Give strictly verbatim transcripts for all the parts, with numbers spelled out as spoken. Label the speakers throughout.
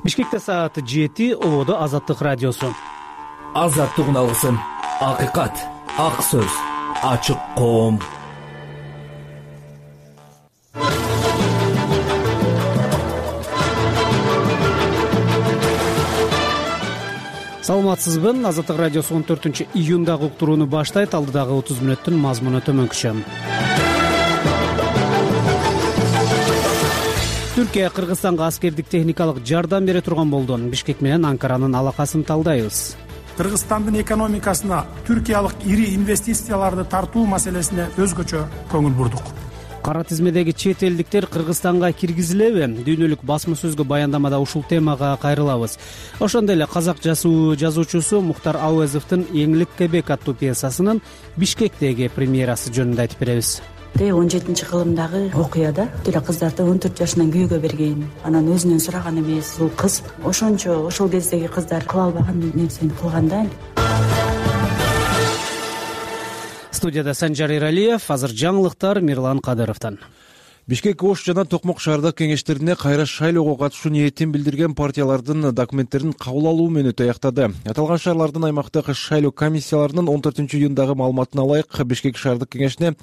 Speaker 1: Бишкекте саат жети, ободо Азаттык радиосу.
Speaker 2: Азаттык алгысын, акыйкат, ак сөз, ачык коом.
Speaker 1: Саламатсызбы? Азаттык радиосу он төртүнчү июндагы уктурууну баштайт. Алдыдагы отуз мүнөттүн мазмуну төмөнкүчө. Түркия Кыргызстанга аскердик техникалык жардам бере турган болду. Бишкек менен Анкаранын алакасын талдайбыз.
Speaker 3: Кыргызстандын экономикасына түркиялык ири инвестицияларды тартуу маселесине өзгөчө көңүл бурдук.
Speaker 1: Кара тизмедеги чет элдиктер Кыргызстанга киргизилеби? Дүйнөлүк басма сөзгө баяндамада ушул темага кайрылабыз. Ошондой эле казак жазуучусу Мухтар Ауезовдун Эңлик Кебек аттуу пьесасынын Бишкектеги премьерасы жөнүндө айтып беребиз.
Speaker 4: он жетинчи кылымдагы окуяда деле кыздарды он төрт жашынан күйөөгө берген, анан өзүнөн сураган эмес. Бул кыз ошончо ошол кездеги кыздар кыла албаган нерсени кылганда.
Speaker 1: Студияда Санжар Иралиев, азыр жаңылыктар Мирлан Кадыровдон.
Speaker 5: Бишкек Ош жана Токмок шаардык кеңештерине кайра шайлоого катышуу ниетин билдирген партиялардын документтерин кабыл алуу мөөнөтү аяктады. Аталган шаарлардын аймактык шайлоо комиссияларынын он төртүнчү июндагы маалыматына ылайык Бишкек шаардык кеңешине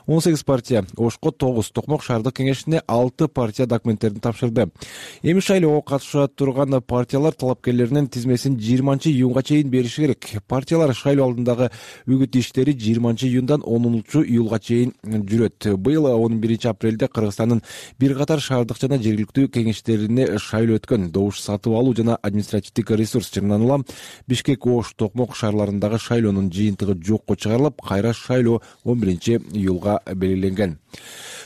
Speaker 5: он сегиз партия, Ошко тогуз, Токмок шаардык кеңешине алты партия документтерин тапшырды. Эми шайлоого катыша турган партиялар талапкерлеринин тизмесин жыйырманчы июнга чейин бериши керек. Партиялар шайлоо алдындагы үгүт иштери жыйырманчы июндан онунчу июлга чейин жүрөт. Быйыл он биринчи апрелде Кыргызстандын бир катар шаардык жана жергиликтүү кеңештерине шайлоо өткөн. Добуш сатып алуу жана административдик ресурс жыйынтыгынан улам Бишкек, Ош, Токмок шаарларындагы шайлоонун жыйынтыгы жокко чыгарылып, кайра шайлоо он биринчи июлга белгиленген.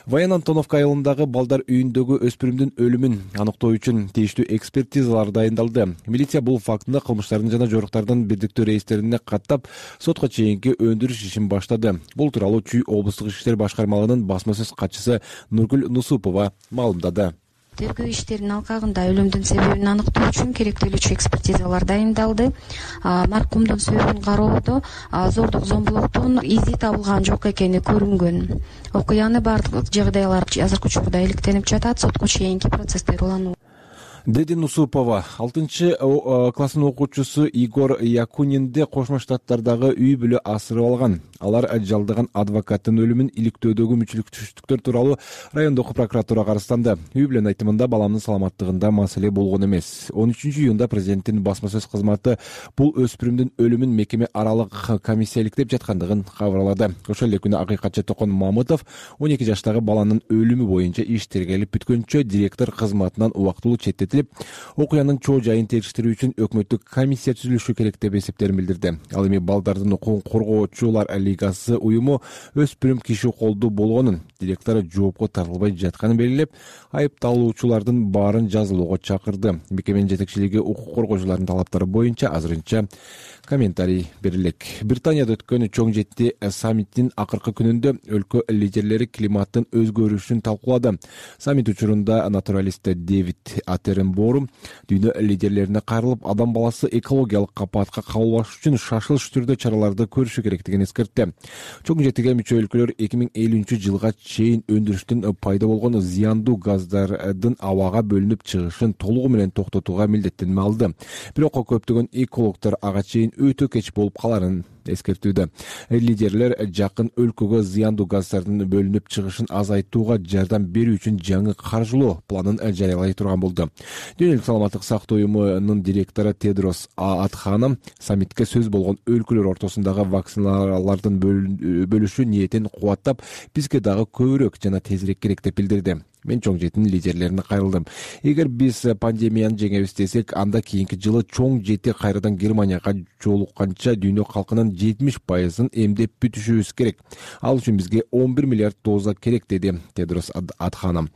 Speaker 5: Ваян Антоновка айылындагы балдар үйүндөгү өспүрүмдүн өлүмүн аныктоо үчүн тийиштүү экспертизалар дайындалды. Милиция бул фактында кылмыштардын жана жоруктардын бирдиктүү рейстерине каттап, сотко чейинки өндүрүш ишин баштады. Бул тууралуу Чүй облустук иштер башкармалыгынын басма сөз катчысы Нургүл Нусупова маалымдады.
Speaker 6: Тергөө иштеринин алкагында өлүмдүн себебин аныктоо үчүн керектелүүчү экспертизалар дайындалды. Маркумдун сөзүн кароодо зордук зомбулуктун изи табылган жок экени көрүнгөн. Окуяны бардык жагдайлар азыркы учурда иликтенип жатат, сотко чейинки процесстер улануу.
Speaker 5: Деди Нусупова, алтынчы класстын окуучусу Игор Якунинди Кошмо Штаттардагы үй бүлө асырып алган. Алар жалдаган адвокаттын өлүмүн иликтөөдөгү мүчүлүктүүлүктөр тууралуу райондук прокуратурага арызданды. Үй бүлөнүн айтымында баламдын саламаттыгында маселе болгон эмес. он үчүнчү июнда президенттин басма сөз кызматы бул өспүрүмдүн өлүмүн мекеме аралык комиссия иликтеп жаткандыгын кабарлады. Ошол эле күнү акыйкатчы Токон Мамытов он эки жаштагы баланын өлүмү боюнча иш тергелип бүткөнчө директор кызматынан убактылуу четтетилип, окуянын чоо жайын териштирүү үчүн өкмөттүк комиссия түзүлүшү керек деп эсептерин билдирди. Ал эми балдардын укугун коргоочулар лигасы уюму өспүрүм киши колдуу болгонун, директор жоопко тартылбай жатканын белгилеп, айыпталуучулардын баарын жазылууга чакырды. Мекеменин жетекчилиги укук коргоочулардын талаптары боюнча азырынча комментарий берилек. Британияда өткөн чоң жети саммиттин акыркы күнүндө өлкө лидерлери климаттын өзгөрүшүн талкуулады. Саммит учурунда натуралист Дэвид Атеренборум дүйнө лидерлерине кайрылып, адам баласы экологиялык капаатка кабылбаш үчүн шашылыш түрдө чараларды көрүшү керектигин эскертти. Чоң жетиге мүчө өлкөлөр эки миң элүүнчү жылга чейин өндүрүштүн пайда болгон зыяндуу газдардын абага бөлүнүп чыгышын толугу менен токтотууга милдеттенме алды. Бирок көптөгөн экологдор ага чейин өтө кеч болуп каларын эскертүүдө. Лидерлер жакын өлкөгө зыяндуу газдардын бөлүнүп чыгышын азайтууга жардам берүү үчүн жаңы каржылоо планын жарыялай турган болду. Дүйнөлүк саламаттык сактоо уюмунун директору Тедрос Адханом саммитке сөз болгон өлкөлөр ортосундагы вакциналардын бөлүшүү ниетин кубаттап, бизге дагы көбүрөөк жана тезирээк керек деп билдирди. Мен чоң жетинин лидерлерине кайрылдым. Эгер биз пандемияны жеңебиз десек, анда кийинки жылы чоң жети кайрадан Германияга жолукканча дүйнө калкынын жетимиш пайызын эмдеп бүтүшүбүз керек. Ал үчүн бизге он бир миллиард доза керек, деди Тедрос Адханом.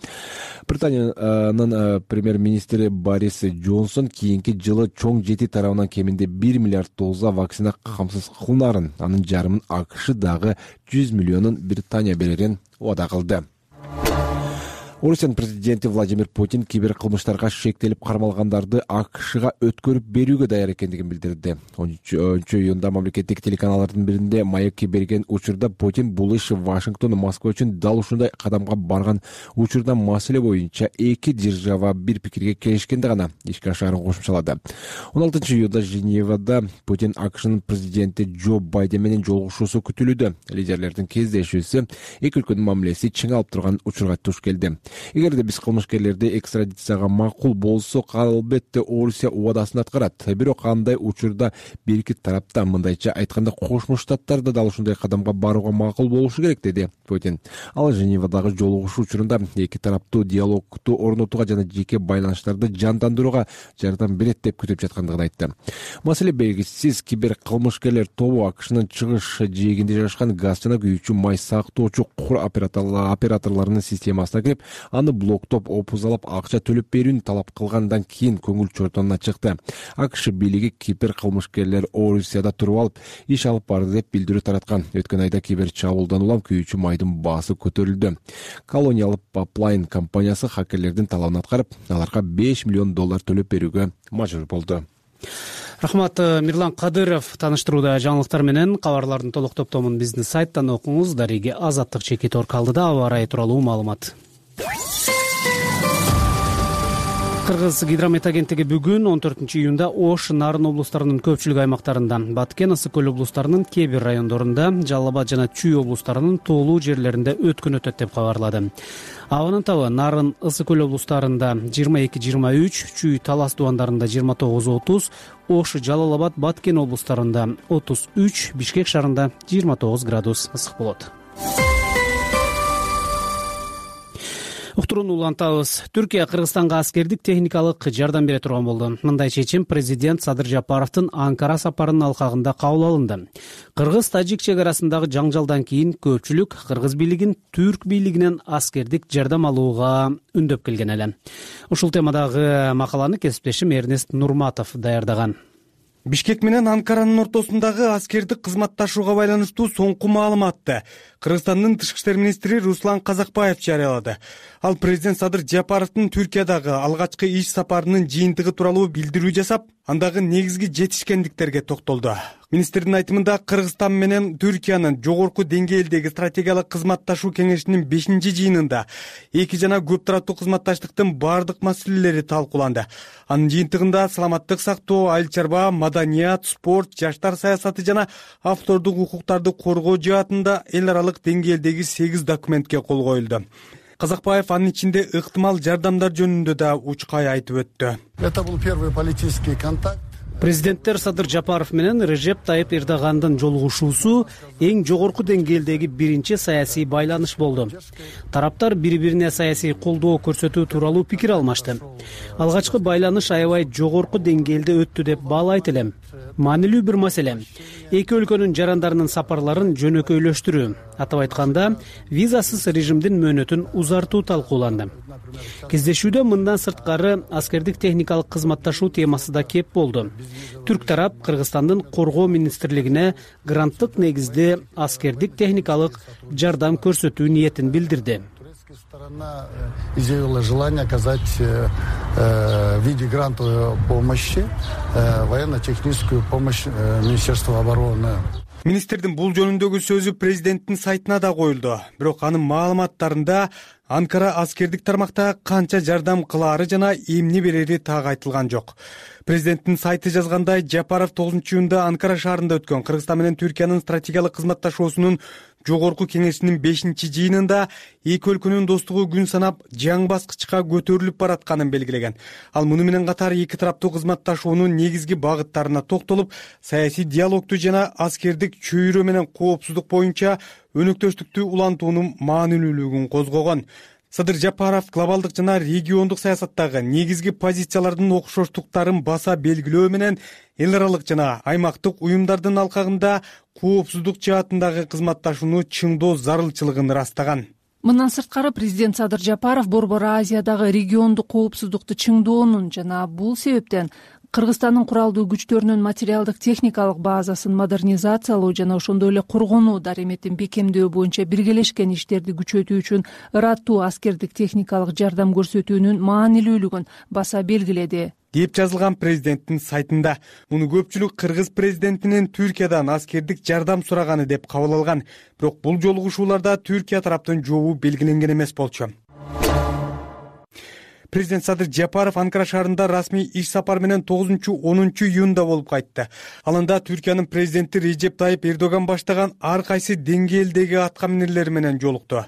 Speaker 5: Британиянын премьер-министри Борис Джонсон кийинки жылы чоң жети тарабынан кеминде бир миллиард доза вакцина камсыз кылынарын, анын жарымын АКШ дагы жүз миллионун Британия берерин убада кылды. Орусиянын президенти Владимир Путин кибер кылмыштарга шектелип кармалгандарды АКШга өткөрүп берүүгө даяр экендигин билдирди. он үчүнчү июнда мамлекеттик телеканалдардын биринде маекке берген учурда Путин бул иш Вашингтон Москва үчүн дал ушундай кадамга барган учурда маселе боюнча эки держава бир пикирге келишкенде гана ишке ашаарын кошумчалады. он алтынчы июнда Женевада Путин АКШнын президенти Джо Байден менен жолугушуусу күтүлүүдө. Лидерлердин кездешүүсү эки өлкөнүн мамилеси чиң алып турган учурга туш келди. Эгерде биз кылмышкерлерди экстрадицияга макул болсо, албетте Орусия убадасын аткарат. Бирок андай учурда бир эки тарапта, мындайча айтканда, Кошмо Штаттар да дал ушундай кадамга барууга макул болушу керек, деди Путин. Ал Женевадагы жолугушуу учурунда эки тараптуу диалогду орнотууга жана жеке байланыштарды жандандырууга жардам берет деп күтүп жаткандыгын айтты. Маселе белгисиз, кибер кылмышкерлер тобу АКШнын чыгыш жээгинде жайгашкан газ жана күйүүчү май сактоочу кур операторлорунун системасына кирип, аны блоктоп, опузалап, акча төлөп берүүнү талап кылгандан кийин көңүл чортонуна чыкты. АКШ бийлиги кибер кылмышкерлер Орусияда туруп алып, иш алып барды деп билдирүү тараткан. Өткөн айда кибер чабуулдан улам күйүүчү майдын баасы көтөрүлдү. Колониал Pipeline компаниясы хакерлердин талабын аткарып, аларга беш миллион доллар төлөп берүүгө мажбур болду.
Speaker 1: Рахмат. Мирлан Кадыров тааныштырууда жаңылыктар менен. Кабарлардын толук топтомун биздин сайттан окуңуз. Дареги Азаттык чекит оркалдыда аба ырайы тууралуу маалымат. Кыргыз гидромет агенттиги бүгүн он төртүнчү июнда Ош, Нарын облустарынын көпчүлүк аймактарында, Баткен, Ысык көл облустарынын кээ бир райондорунда, Жалал Абад жана Чүй облустарынын тоолуу жерлеринде өткөн өтөт деп кабарлады. Абанын табы Нарын, Ысык көл облустарында жыйырма эки жыйырма үч, Чүй, Талас дубандарында жыйырма тогуз отуз, Ош, Жалал Абад, Баткен облустарында отуз үч, Бишкек шаарында жыйырма тогуз градус ысык болот. Уктурууну улантабыз. Түркия Кыргызстанга аскердик техникалык жардам бере турган болду. Мындай чечим президент Садыр Жапаровдун Анкара сапарынын алкагында кабыл алынды. Кыргыз-тажик чек арасындагы жаңжалдан кийин көпчүлүк кыргыз бийлигин түрк бийлигинен аскердик жардам алууга үндөп келген эле. Ушул темадагы макаланы кесиптешим Эрнест Нурматов даярдаган.
Speaker 7: Бишкек менен Анкаранын ортосундагы аскердик кызматташууга байланыштуу соңку маалыматты Кыргызстандын тышкы иштер министри Руслан Казакбаев жарыялады. Ал президент Садыр Жапаровдун Түркиядагы алгачкы иш сапарынын жыйынтыгы тууралуу билдирүү жасап, андагы негизги жетишкендиктерге токтолду. Министрдин айтымында, Кыргызстан менен Түркиянын жогорку деңгээлдеги стратегиялык кызматташуу кеңешинин бешинчи жыйынында эки жана көп тараптуу кызматташтыктын бардык маселелери талкууланды. Анын жыйынтыгында саламаттык сактоо, айыл чарба, маданият, спорт, жаштар саясаты жана автордук укуктарды коргоо жаатында эл аралык деңгээлдеги сегиз документке кол коюлду. Казакбаев анын ичинде ыктымал жардамдар жөнүндө да учкай айтып өттү.
Speaker 8: Это был первый политический контакт.
Speaker 1: Президенттер Садыр Жапаров менен Режеп Тайып Эрдогандын жолугушуусу эң жогорку деңгээлдеги биринчи саясий байланыш болду. Тараптар бири-бирине саясий колдоо көрсөтүү тууралуу пикир алмашты. Алгачкы байланыш аябай жогорку деңгээлде өттү деп баалайт элем. Маанилүү бир маселе. Эки өлкөнүн жарандарынын сапарларын жөнөкөйлөштүрүү, атап айтканда, визасыз режимдин мөөнөтүн узартуу талкууланды. Кездешүүдө мындан сырткары аскердик техникалык кызматташуу темасы да кеп болду. Түрк тарап Кыргызстандын коргоо министрлигине гранттык негизде аскердик техникалык жардам көрсөтүү ниетин билдирди.
Speaker 8: Сторона изъявила желание оказать в виде грантовой помощи, военно-техническую помощь Министерства обороны.
Speaker 7: Министрдин бул жөнүндөгү сөзү президенттин сайтына да коюлду. Бирок анын маалыматтарында Анкара аскердик тармакта канча жардам кылаары жана эмне берери так айтылган жок. Президенттин сайты жазгандай, Жапаров тогузунчу июнда Анкара шаарында өткөн Кыргызстан менен Түркиянын стратегиялык кызматташуусунун жогорку кеңешинин бешинчи жыйынында эки өлкөнүн достугу күн санап жаңы баскычка көтөрүлүп баратканын белгилеген. Ал муну менен катар эки тараптуу кызматташуунун негизги багыттарына токтолуп, саясий диалогду жана аскердик чөйрө менен коопсуздук боюнча өнөктөштүктү улантуунун маанилүүлүгүн козгогон. Садыр Жапаров глобалдык жана региондук саясаттагы негизги позициялардын окшоштуктарын баса белгилөө менен эл аралык жана аймактык уюмдардын алкагында коопсуздук жаатындагы кызматташууну чыңдоо зарылчылыгын ырастаган.
Speaker 9: Мындан сырткары президент Садыр Жапаров Борбор Азиядагы региондук коопсуздукту чыңдоонун жана бул себептен Кыргызстандын куралдуу күчтөрүнүн материалдык техникалык базасын модернизациялоо жана ошондой эле коргонуу дареметин бекемдөө боюнча биргелешкен иштерди күчөтүү үчүн ыраттуу аскердик техникалык жардам көрсөтүүнүн маанилүүлүгүн баса белгиледи
Speaker 7: деп жазылган президенттин сайтында. Муну көпчүлүк кыргыз президентинин Түркиядан аскердик жардам сураганы деп кабыл алган. Бирок бул жолугушууларда Түркия тараптын жообу белгиленген эмес болчу. Президент Садыр Жапаров Анкара шаарында расмий иш сапар менен тогузунчу онунчу июнда болуп кайтты. Ал анда Түркиянын президенти Режеп Тайып Эрдоган баштаган ар кайсы деңгээлдеги атка минерлер менен жолукту.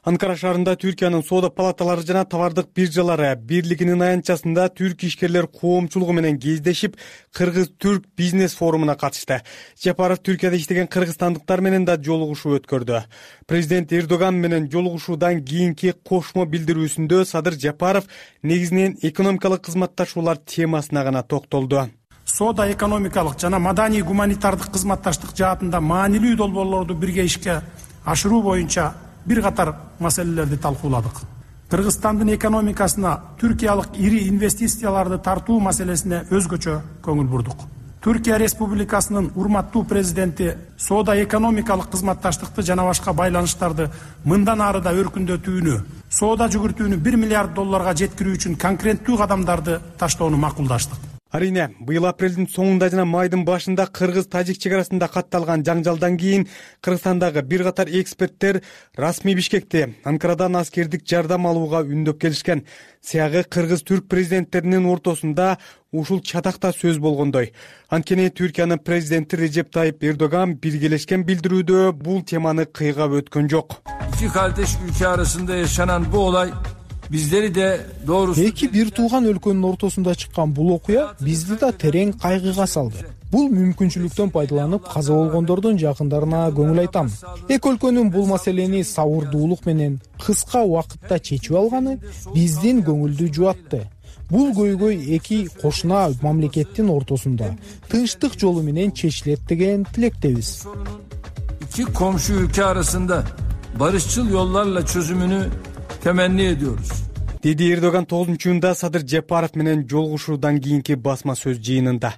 Speaker 7: Анкара шаарында Түркиянын соода палаталары жана товардык биржалары бирлигинин аянтчасында түрк ишкерлер коомчулугу менен кездешип, Кыргыз-Түрк бизнес форумуна катышты. Жапаров Түркияда иштеген кыргызстандыктар менен да жолугушуу өткөрдү. Президент Эрдоган менен жолугушуудан кийинки кошмо билдирүүсүндө Садыр Жапаров негизинен экономикалык кызматташуулар темасына гана токтолду.
Speaker 3: Соода экономикалык жана маданий гуманитардык кызматташтык жаатында маанилүү долбоорлорду бирге ишке ашыруу боюнча бир катар маселелерди талкууладык. Кыргызстандын экономикасына түркиялык ири инвестицияларды тартуу маселесине өзгөчө көңүл бурдук. Түркия Республикасынын урматтуу президенти соода экономикалык кызматташтыкты жана башка байланыштарды мындан ары да өркүндөтүүнү, соода жүгүртүүнү бир миллиард долларга жеткирүү үчүн конкреттүү кадамдарды таштоону макулдаштык.
Speaker 7: Арине, быйыл апрелдин соңунда жана майдын башында кыргыз-тажик чек арасында катталган жаңжалдан кийин Кыргызстандагы бир катар эксперттер расмий Бишкекте Анкарадан аскердик жардам алууга үндөп келишкен. Сыягы кыргыз-түрк президенттеринин ортосунда ушул чатакта сөз болгондой. Анткени Түркиянын президенти Режеп Тайып Эрдоган биргелешкен билдирүүдө бул теманы кыйгап өткөн жок.
Speaker 10: İki kardeş ülke arasında yaşanan bu olay bizleri de doğrusu
Speaker 11: эки бир тууган өлкөнүн ортосунда чыккан бул окуя бизди да терең кайгыга салды. Бул мүмкүнчүлүктөн пайдаланып каза болгондордун жакындарына көңүл айтам. Эки өлкөнүн бул маселени сабырдуулук менен кыска убакытта чечип алганы биздин көңүлдү жубатты. Бул көйгөй эки кошуна мамлекеттин ортосунда тынчтык жолу менен чечилет деген тилектебиз.
Speaker 10: İki komşu ülke arasında barışçıl yollarla çözümünü temenni ediyoruz.
Speaker 7: Dedi Эрдоган тогузунчу июнда Садыр Жапаров менен жолугушуудан кийинки басма сөз жыйынында.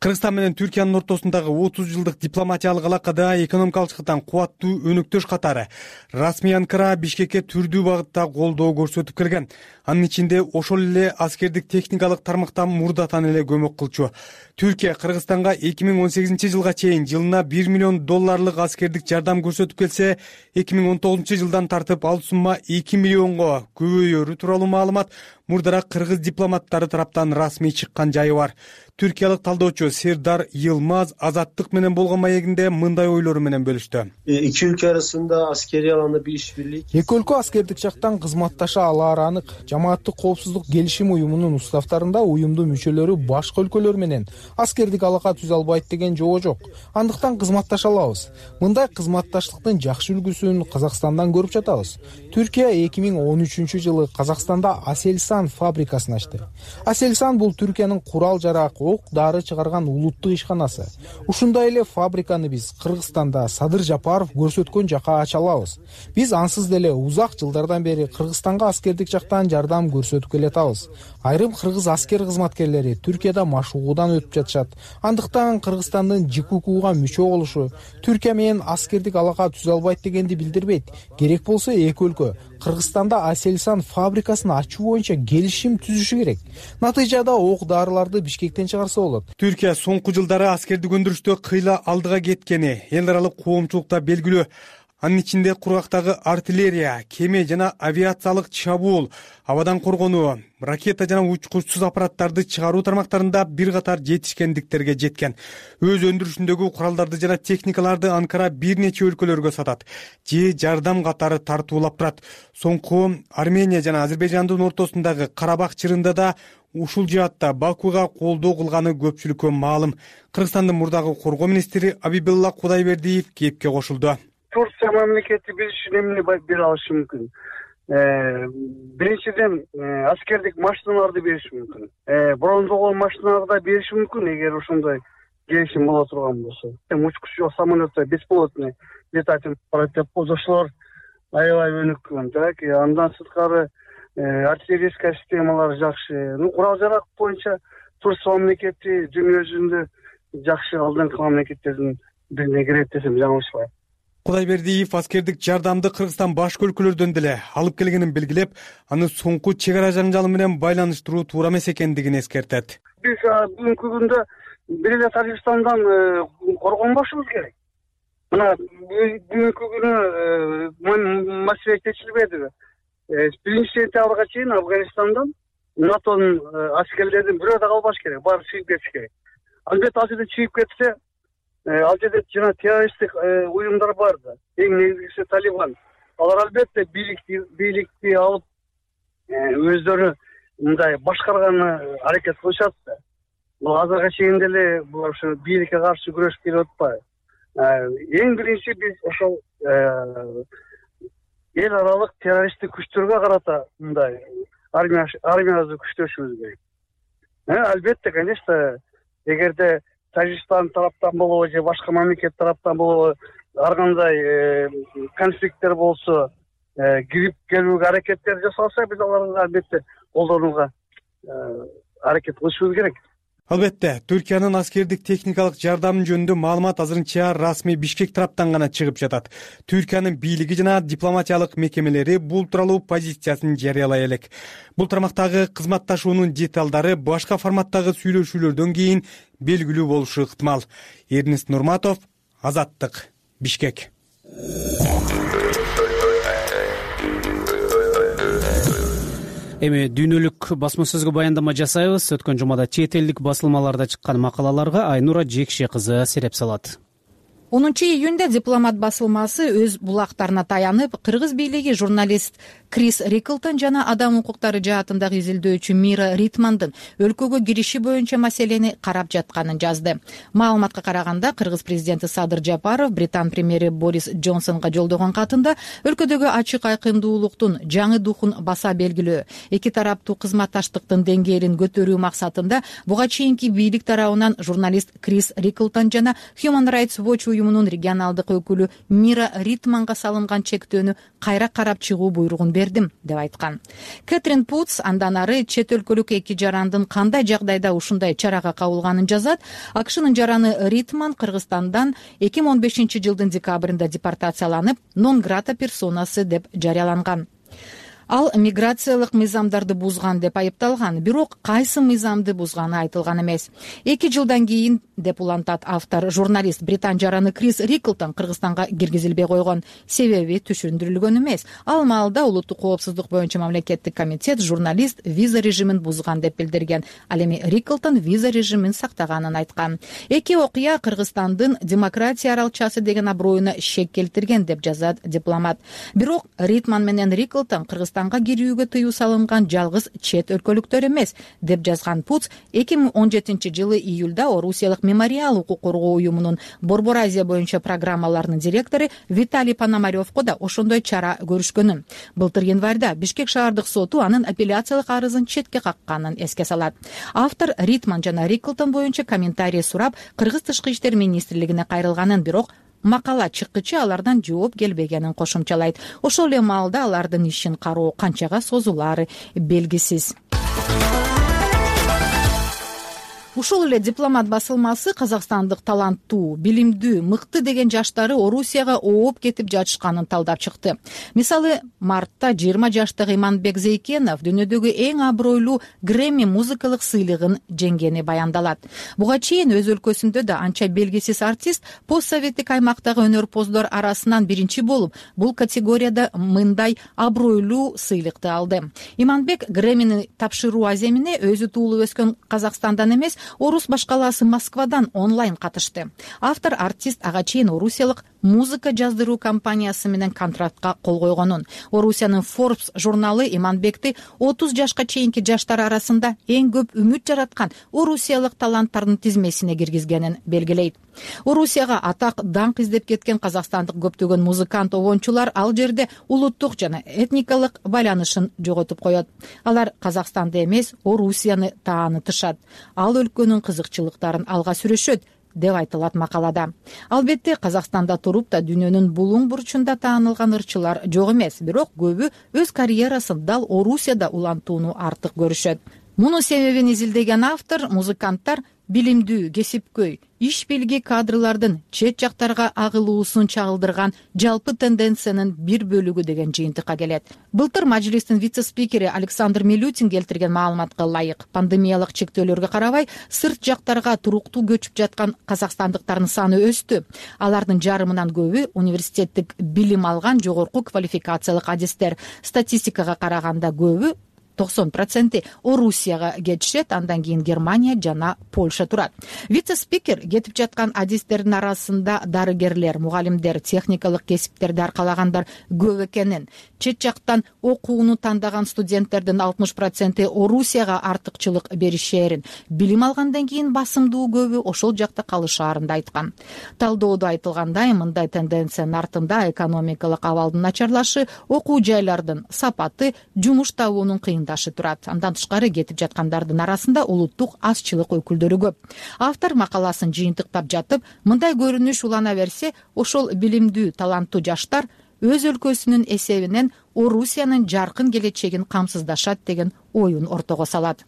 Speaker 7: Кыргызстан менен Түркиянын ортосундагы отуз жылдык дипломатиялык алакада экономикалык жактан кубаттуу өнөктөш катары расмий Анкара Бишкекке түрдүү багытта колдоо көрсөтүп келген. Анын ичинде ошол эле аскердик техникалык тармактан мурдатан эле көмөк кылчу. Түркия Кыргызстанга эки миң он сегизинчи жылга чейин жылына бир миллион долларлык аскердик жардам көрсөтүп келсе, эки миң он тогузунчу жылдан тартып ал сумма эки миллионго көбөйөрү тууралуу маалымат мурдараак кыргыз дипломаттары тараптан расмий чыккан жайы бар. Түркиялык талдоочу Сердар Йылмаз Азаттык менен болгон маегинде мындай ойлору менен бөлүштү.
Speaker 12: Эки өлкө арасында аскерий аланда бир иш-бирлик.
Speaker 11: Эки өлкө аскердик жактан кызматташа алаары анык. Жамааттык коопсуздук келишим уюмунун уставтарында уюмдун мүчөлөрү башка өлкөлөр менен аскердик алака түзө албайт деген жобо жок. Андыктан кызматташа алабыз. Мындай кызматташтыктын жакшы үлгүсүн Казакстандан көрүп жатабыз. Түркия эки миң он үчүнчү жылы Казакстанда Aselsan фабрикасын ачты. Aselsan бул Түркиянын курал жарак, ок дары чыгарган улуттук ишканасы. Ушундай эле фабриканы биз Кыргызстанда Садыр Жапаров көрсөткөн жака ача алабыз. Биз ансыз деле узак жылдардан бери Кыргызстанга аскердик жактан жардам көрсөтүп келатабыз. Айрым кыргыз аскер кызматкерлери Түркияда машыгуудан өтүп жатышат. Андыктан Кыргызстандын ЖККуга мүчө болушу Түркия менен аскердик алака түзө албайт дегенди билдирбейт. Керек болсо эки өлкө Кыргызстанда Aselsan фабрикасын ачуу боюнча келишим түзүшү керек. Натыйжада ок дарыларды Бишкектен чыгарса болот.
Speaker 7: Түркия соңку жылдары аскердик өндүрүштө кыйла алдыга кеткени эл аралык коомчулукта белгилүү. Анын ичинде кургактагы артиллерия, кеме жана авиациялык чабуул, абадан коргонуу, ракета жана учкучсуз аппараттарды чыгаруу тармактарында бир катар жетишкендиктерге жеткен. Өз өндүрүшүндөгү куралдарды жана техникаларды Анкара бир нече өлкөлөргө сатат, же жардам катары тартуулап турат. Соңку Армения жана Азербайжандын ортосундагы Карабах чырында да ушул жаатта Бакуга колдоо кылганы көпчүлүккө маалым. Кыргызстандын мурдагы коргоо министри Абибилла Кудайбердиев кепке кошулду.
Speaker 13: Турция мамлекети биз үчүн эмне бере алышы мүмкүн? Биринчиден аскердик машиналарды бериши мүмкүн. Брондогон машиналарды да бериши мүмкүн, эгер ошондой келишим боло турган болсо. Учкучсуз самолетто бесполотный летательный аппарат деп ошолор аябай өнүккөн. Так, андан сырткары артиллерийская системалары жакшы. Ну курал жарак боюнча Турция мамлекети дүйнө жүзүндө жакшы алдыңкы мамлекеттердин бирине кирет десем жаңылышпайм.
Speaker 7: Кудайбердиев аскердик жардамды Кыргызстан башка өлкөлөрдөн деле алып келгенин белгилеп, аны соңку чек ара жаңжалы менен байланыштыруу туура эмес экендигин эскертет.
Speaker 13: Биз бүгүнкү күндө бир эле Тажикстандан коргонбошубуз керек. Мына бүгүнкү күнү маселе чечилбедиби? Биринчи сентябрга чейин Афганистандан НАТОнун аскерлеринин бирөө да калбаш керек, баары чыгып кетиш керек. Албетте ал жерде чыгып кетсе, ал жерде жана террористтик уюмдар бар да. Эң негизгиси Талибан. Алар албетте бийликти бийликти алып өздөрү мындай башкарганы аракет кылышат да. Бул азыркыга чейин деле булар ушу бийликке каршы күрөшүп келип атпайбы? Эң биринчи биз ошол эл аралык террористтик күчтөргө карата мындай армия армиябызды күчтөшүбүз керек. Албетте, конечно, эгерде Тажикстан тараптан болобу же башка мамлекет тараптан болобу ар кандай конфликттер болсо, кирип келүүгө аракеттер жасалса, биз аларга албетте колдонууга аракет кылышыбыз керек.
Speaker 7: Албетте, Түркиянын аскердик техникалык жардамы жөнүндө маалымат азырынча расмий Бишкек тараптан гана чыгып жатат. Түркиянын бийлиги жана дипломатиялык мекемелери бул тууралуу позициясын жарыялай элек. Бул тармактагы кызматташуунун деталдары башка форматтагы сүйлөшүүлөрдөн кийин белгилүү болушу ыктымал. Эрнест Нурматов, Азаттык, Бишкек.
Speaker 1: Эми дүйнөлүк басма сөзгө баяндама жасайбыз. Өткөн жумада чет элдик басылмаларда чыккан макалаларга Айнура Жекше кызы сереп салат.
Speaker 14: онунчу июнда Дипломат басылмасы өз булактарына таянып, кыргыз бийлиги журналист Крис Риклтон жана адам укуктары жаатындагы изилдөөчү Мира Ритмандын өлкөгө кириши боюнча маселени карап жатканын жазды. Маалыматка караганда, кыргыз президенти Садыр Жапаров Британ премьери Борис Джонсонго жолдогон катында өлкөдөгү ачык айкындуулуктун жаңы духун баса белгилөө, эки тараптуу кызматташтыктын деңгээлин көтөрүү максатында буга чейинки бийлик тарабынан журналист Крис Риклтон жана Human Rights Watch уюмунун регионалдык өкүлү Мира Ритманга салынган чектөөнү кайра карап чыгуу буйругун бердим деп айткан. Кэтрин Путс андан ары чет өлкөлүк эки жарандын кандай жагдайда ушундай чарага кабылганын жазат. АКШнын жараны Ритман Кыргызстандан эки миң он бешинчи жылдын декабрында депортацияланып, нон грата персонасы деп жарыяланган. Ал миграциялык мыйзамдарды бузган деп айыпталган, бирок кайсы мыйзамды бузганы айтылган эмес. Эки жылдан кийин, деп улантат автор, журналист Британ жараны Крис Риклтон Кыргызстанга киргизилбей койгон. Себеби түшүндүрүлгөн эмес. Ал маалда улуттук коопсуздук боюнча мамлекеттик комитет журналист виза режимин бузган деп билдирген. Ал эми Риклтон виза режимин сактаганын айткан. Эки окуя Кыргызстандын демократия аралчасы деген аброюна шек келтирген деп жазат Дипломат. Бирок Ритман менен Риклтон Кыргызстан кирүүгө тыюу салынган жалгыз чет өлкөлүктөр эмес, деп жазган Путс эки миң он жетинчи жылы июлда Орусиялык мемориал укук коргоо уюмунун Борбор Азия боюнча программаларынын директору Виталий Пономаревко да ошондой чара көрүшкөнүн. Былтыр январда Бишкек шаардык соту анын апелляциялык арызын четке какканын эске салат. Автор Ритман жана Риклтон боюнча комментарий сурап, Кыргыз тышкы иштер министрлигине кайрылганын, бирок макала чыккычы алардан жооп келбегенин кошумчалайт. Ошол эле маалда алардын ишин кароо канчага созулаары белгисиз. Ушул эле Дипломат басылмасы казакстандык таланттуу, билимдүү, мыкты деген жаштары Орусияга ооп кетип жатышканын талдап чыкты. Мисалы, мартта жыйырма жаштагы Иманбек Зейкенов дүйнөдөгү эң абройлуу Грэмми музыкалык сыйлыгын жеңгени баяндалат. Буга чейин өз өлкөсүндө да анча белгисиз артист постсоветтик аймактагы өнөрпоздор арасынан биринчи болуп, бул категорияда мындай абройлуу сыйлыкты алды. Иманбек Грэммини тапшыруу аземине өзү туулуп өскөн Казакстандан эмес, Орус башкаласы Москвадан онлайн катышты. Автор артист ага чейин орусиялык музыка жаздыруу компаниясы менен контрактка кол койгонун. Орусиянын Forbes журналы Иманбекти отуз жашка чейинки жаштар арасында эң көп үмүт жараткан орусиялык таланттардын тизмесине киргизгенин белгилейт. Орусияга атак даңк издеп кеткен казакстандык көптөгөн музыкант обончулар ал жерде улуттук жана этникалык байланышын жоготуп коет. Алар Казакстанды эмес, Орусияны таанытышат. Ал өлкөнүн кызыкчылыктарын алга сүрөшөт. деп айтылат макалада. Албетте Казакстанда туруп да дүйнөнүн булуң бурчунда таанылган ырчылар жок эмес, бирок көбү өз карьерасын дал Орусияда улантууну артык көрүшөт. Мунун себебин изилдеген автор музыканттар билимдүү, кесипкөй, иш билги кадрлардын чет жактарга агылуусун чагылдырган жалпы тенденциянын бир бөлүгү деген жыйынтыкка келет. Былтыр мажлистин вице-спикери Александр Милютин келтирген маалыматка ылайык, пандемиялык чектөөлөргө карабай сырт жактарга туруктуу көчүп жаткан казакстандыктардын саны өстү. Алардын жарымынан көбү университеттик билим алган жогорку квалификациялык адистер. Статистикага караганда көбү токсон проценти Орусияга кетишет, андан кийин Германия жана Польша турат. Вице-спикер кетип жаткан адистердин арасында дарыгерлер, мугалимдер, техникалык кесиптерди аркалагандар көп экенин, чет жактан окууну тандаган студенттердин алтымыш проценти Орусияга артыкчылык беришээрин, билим алгандан кийин басымдуу көбү ошол жакта калышаарын да айткан. Талдоодо айтылгандай, мындай тенденциянын артында экономикалык абалдын начарлашы, окуу жайлардын сапаты, жумуш табуунун кыйындашы турат. Андан тышкары кетип жаткандардын арасында улуттук азчылык өкүлдөрү көп. Автор макаласын жыйынтыктап жатып, мындай көрүнүш улана берсе, ошол билимдүү, таланттуу жаштар өз өлкөсүнүн эсебинен Орусиянын жаркын келечегин камсыздашат деген оюн ортого салат.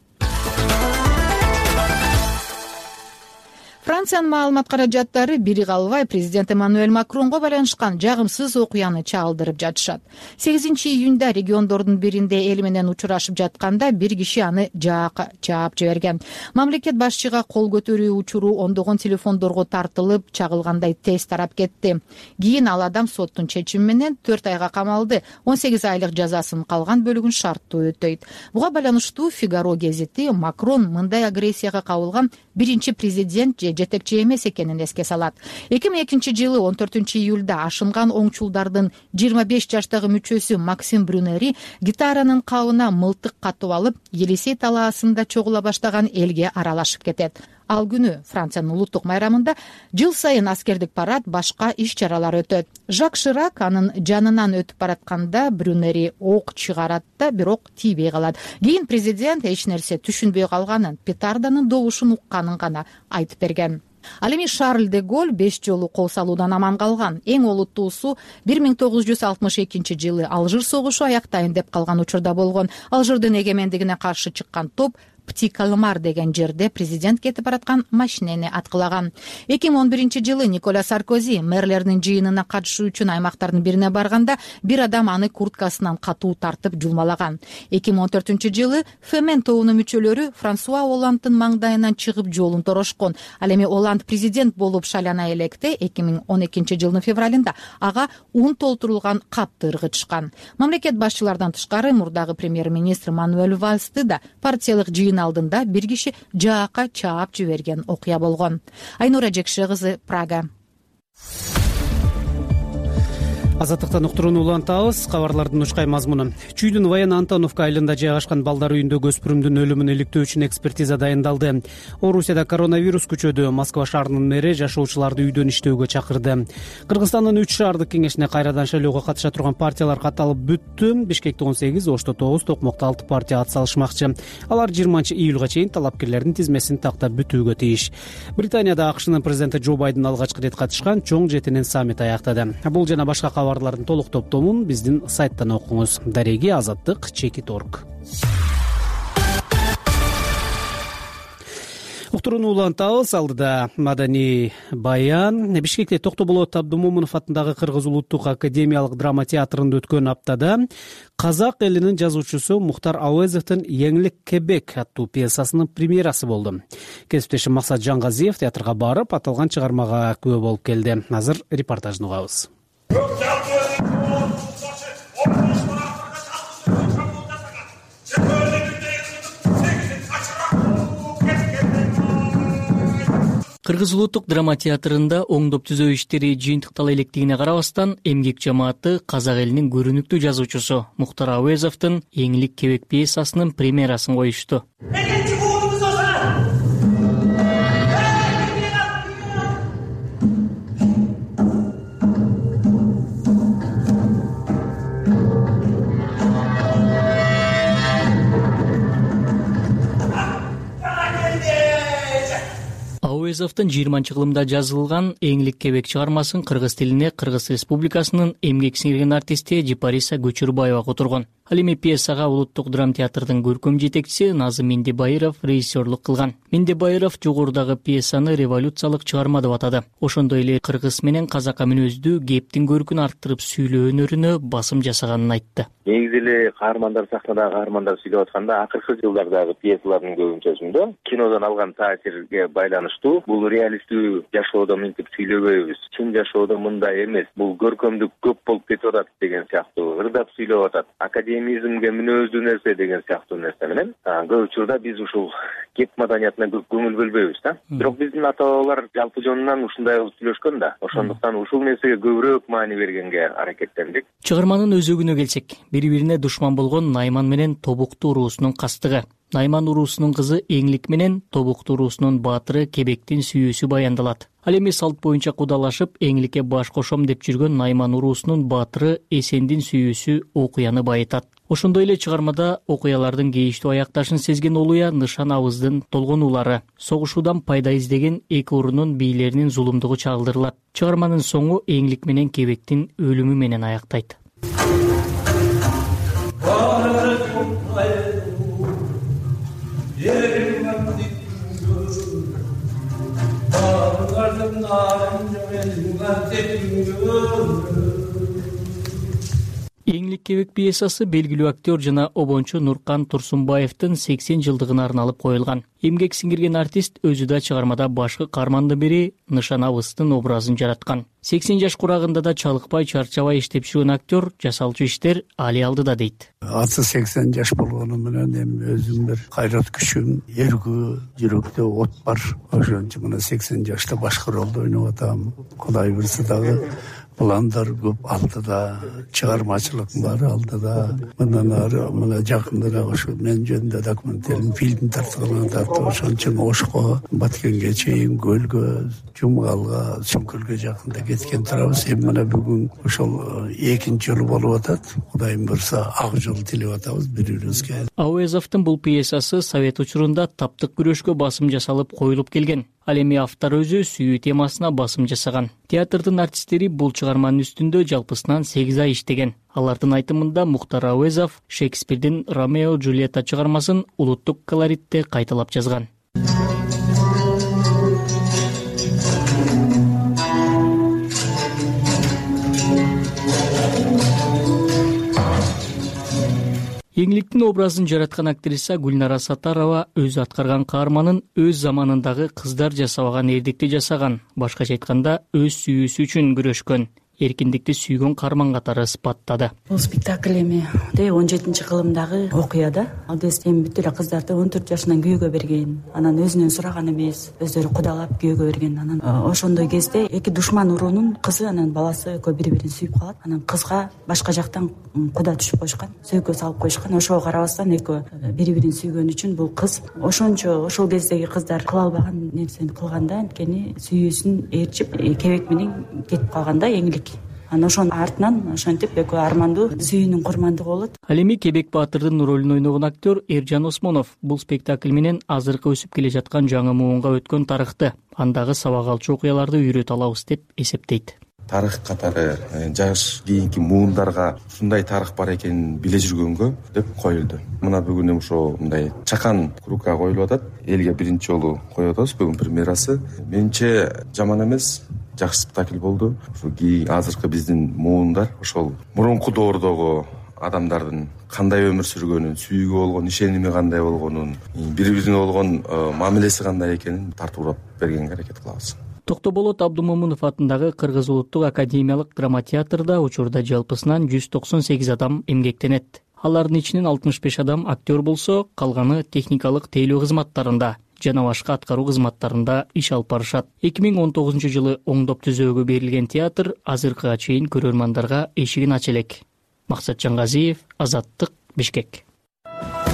Speaker 14: Франциянын маалымат каражаттары бири калбай президент Эммануэль Макронго байланышкан жагымсыз окуяны чагылдырып жатышат. сегизинчи июнда региондордун биринде эл менен учурашып жатканда бир киши аны жаака чаап жиберген. Мамлекет башчыга кол көтөрүү учуру ондогон телефондорго тартылып, чагылгандай тез тарап кетти. Кийин ал адам соттун чечими менен төрт айга камалды, он сегиз айлык жазасынын калган бөлүгүн шарттуу өтөйт. Буга байланыштуу Фигаро гезити Макрон мындай агрессияга кабылган биринчи президент же жетекчи эмес экенин эске салат. эки миң экинчи жылы он төртүнчү июлда ашынган оңчулдардын жыйырма беш жаштагы мүчөсү Максим Брюнери гитаранын кабына мылтык катып алып, Елисей талаасында чогула баштаган элге аралашып кетет. Ал күнү Франциянын улуттук майрамында жыл сайын аскердик парад, башка иш-чаралар өтөт. Жак Ширак анын жанынан өтүп баратканда Брюнери ок чыгарат да, бирок тийбей калат. Кийин президент эч нерсе түшүнбөй калганын, петарданын добушун укканын гана айтып берген. Ал эми Шарль де Голль беш жолу кол салуудан аман калган. Эң олуттуусу бир миң тогуз жүз алтымыш экинчи жылы Алжир согушу аяктайын деп калган учурда болгон. Алжирдин эгемендигине каршы чыккан топ Пти Калмар деген жерде президент кетип бараткан машинени аткылаган. эки миң он биринчи жылы Николя Саркози мэрлердин жыйынына катышуу үчүн аймактардын бирине барганда бир адам аны курткасынан катуу тартып жулмалаган. эки миң он төртүнчү жылы Фемен тобунун мүчөлөрү Франсуа Оландтын маңдайынан чыгып жолун торошкон. Ал эми Оланд президент болуп шайлана электе эки миң он экинчи жылдын февралында ага ун толтурулган капты ыргытышкан. Мамлекет башчылардан тышкары мурдагы премьер-министр Мануэль Вальсты да партиялык жыйын алдында бир киши жаака чаап жиберген окуя болгон. Айнура Жекше кызы, Прага.
Speaker 1: Азаттыктан уктурууну улантабыз. Кабарлардын учкай мазмуну. Чүйдүн Воен Антоновка айылында жайгашкан балдар үйүндөгү өспүрүмдүн өлүмүн иликтөө үчүн экспертиза дайындалды. Орусияда коронавирус күчөдү. Москва шаарынын мэри жашоочуларды үйдөн иштөөгө чакырды. Кыргызстандын үч шаардык кеңешине кайрадан шайлоого катыша турган партиялар катталып бүттү. Бишкекте он сегиз, Ошто тогуз, Токмокто алты партия ат салышмакчы. Алар жыйырманчы июлга чейин талапкерлердин тизмесин тактап бүтүүгө тийиш. Британияда АКШнын президенти Джо Байден алгачкы рет катышкан чоң жетинен саммит аяктады. Бул жана башка кабарлардын толук топтомун биздин сайттан окуңуз. Дареги азаттык чекит орг. Уктурууну улантабыз. Алдыда маданий баян. Бишкекте Токтоболот Абдумомунов атындагы Кыргыз улуттук академиялык драма театрында өткөн аптада казак элинин жазуучусу Мухтар Ауезовдун Еңлик Кебек аттуу пьесасынын премьерасы болду. Кесиптешим Максат Жангазиев театрга барып, аталган чыгармага күбө болуп келди. Азыр репортажын угабыз.
Speaker 15: Кыргыз улуттук драма театрында оңдоп түзөө иштери жыйынтыктала электигине карабастан, эмгек жамааты казак элинин көрүнүктүү жазуучусу Мухтар Ауезовдун Еңлик Кебек пьесасынын премьерасын коюшту. Ауезовдун жыйырманчы кылымда жазылган Эңлик кебек чыгармасын кыргыз тилине Кыргыз Республикасынын эмгек сиңирген артисти Жипариса Көчүрбаева которгон. Ал эми пьесага Улуттук драма театрдын көркөм жетекчиси Назым Мендебайыров режиссерлук кылган. Мендебайыров жогорудагы пьесаны революциялык чыгарма деп атады. Ошондой эле кыргыз менен казакка мүнөздүү кептин көркүн арттырып сүйлөө өнөрүнө басым жасаганын айтты.
Speaker 16: Негизи эле каармандар, сахнадагы каармандар сүйлөп атканда акыркы жылдардагы пьесалардын көбүнчөсүндө кинодон алган таасирге байланыштуу бул реалисттүү жашоодо мынтип сүйлөбөйбүз. Чын жашоодо мындай эмес. Бул көркөмдүк көп болуп кетип атат деген сыяктуу ырдап сүйлөп атат. Академизмге мүнөздүү нерсе деген сыяктуу нерсе менен көп учурда биз ушул кеп маданиятына көп көңүл бөлбөйбүз да. Бирок биздин ата бабалар жалпы жонунан ушундай кылып сүйлөшкөн да. Ошондуктан ушул нерсеге көбүрөөк маани бергенге аракеттендик.
Speaker 15: Чыгарманын өзөгүнө келсек, бири-бирине душман болгон Найман менен Тобуктуу уруусунун кастыгы. Найман уруусунун кызы Эңлик менен Тобуктуу уруусунун баатыры Кебектин сүйүүсү баяндалат. Ал эми салт боюнча кудалашып, Эңликке баш кошом деп жүргөн Найман уруусунун баатыры Эсендин сүйүүсү окуяны байытат. Ошондой эле чыгармада окуялардын кейиштүү аякташын сезген Олуя Нышан абыздын толгонуулары, согушуудан пайда издеген эки урунун бийлеринин зулумдугу чагылдырылат. Чыгарманын соңу Эңлик менен Кебектин өлүмү менен аяктайт. Эңлик кебек пьесасы белгилүү актер жана обончу Нуркан Турсунбаевдин сексен жылдыгына арналып коюлган. Эмгек сиңирген артист өзү да чыгармада башкы каармандын бири Нышан абыздын образын жараткан. сексен жаш курагында да чалыкпай, чарчабай иштеп жүргөн актер жасалчу иштер али алдыда дейт.
Speaker 17: Аты сексен жаш болгону менен эми өзүм бир кайрат күчүм, эргүү, жүрөктө от бар. Ошон үчүн мына сексен жашта башкы ролду ойноп атам. Кудай буйрса дагы пландар көп алдыда, чыгармачылык баары алдыда. Мындан ары мына жакындыраак ошо мен жөнүндө документалдык фильм тарткан атат. Ошон үчүн Ошко, Баткенге чейин, Көлгө, Жумгалга, Сүмкөлгө жакында кеткен турабыз. Эми мына бүгүн ошол экинчи жолу болуп атат. Кудайым буйрса ак жол тилеп атабыз бири-бирибизге.
Speaker 15: Ауезовдун бул пьесасы совет учурунда таптык күрөшкө басым жасалып коюлуп келген. Ал эми автор өзү сүйүү темасына басым жасаган. Театрдын артисттери бул чыгарманын үстүндө жалпысынан сегиз ай иштеген. Алардын айтымында Мухтар Ауезов Шекспирдин Ромео Джульетта чыгармасын улуттук колоритте кайталап жазган. Эңликтин образын жараткан актриса Гүлнара Сатарова өзү аткарган каарманын өз заманындагы кыздар жасабаган эрдикти жасаган, башкача айтканда өз сүйүүсү үчүн күрөшкөн, эркиндикти сүйгөн каарман катары сыпаттады.
Speaker 4: Бул спектакль эми он жетинчи кылымдагы окуя да. Ал кезде эми бүт эле кыздарды он төрт жашынан күйөөгө берген. Анан өзүнөн сураган эмес, өздөрү кудалап күйөөгө берген. Анан ошондой кезде эки душман уруунун кызы анан баласы экөө бири-бирин сүйүп калат. Анан кызга башка жактан куда түшүп койшкан, сөйкө салып койшкан. Ошого карабастан экөө бири-бирин сүйгөн үчүн бул кыз ошончо ошол кездеги кыздар кыла албаган нерсени кылган да, анткени сүйүүсүн ээрчип Кебек менен кетип калганда Эңлик. Анан ошонун артынан ошентип экөө армандуу сүйүүнүн курмандыгы болот.
Speaker 15: Ал эми Кебек баатырдын ролун ойногон актер Эржан Осмонов бул спектакль менен азыркы өсүп келе жаткан жаңы муунга өткөн тарыхты, андагы сабак алчу окуяларды үйрөтө алабыз деп эсептейт.
Speaker 18: Тарых катары жаш кийинки муундарга ушундай тарых бар экенин биле жүргөнгө деп коюлду. Мына бүгүн ошо мындай чакан кругга коюлуп атат. Элге биринчи жолу коюп атабыз бүгүн премьерасы. Менимче жаман эмес, жакшы спектакль болду. Ошо кийин азыркы биздин муундар ошол мурунку доордогу адамдардын кандай өмүр сүргөнүн, сүйүүгө болгон ишеними кандай болгонун, бири-бирине болгон мамилеси кандай экенин тартуулап бергенге аракет кылабыз.
Speaker 15: Токтоболот Абдумомунов атындагы Кыргыз улуттук академиялык драма театрда учурда жалпысынан жүз токсон сегиз адам эмгектенет. Алардын ичинен алтымыш беш адам актер болсо, калганы техникалык тейлөө кызматтарында жана башка аткаруу кызматтарында иш алып барышат. эки миң он тогузунчу жылы оңдоп түзөөгө берилген театр азыркыга чейин көрөрмандарга эшигин ача элек. Максат Жангазиев, Азаттык, Бишкек.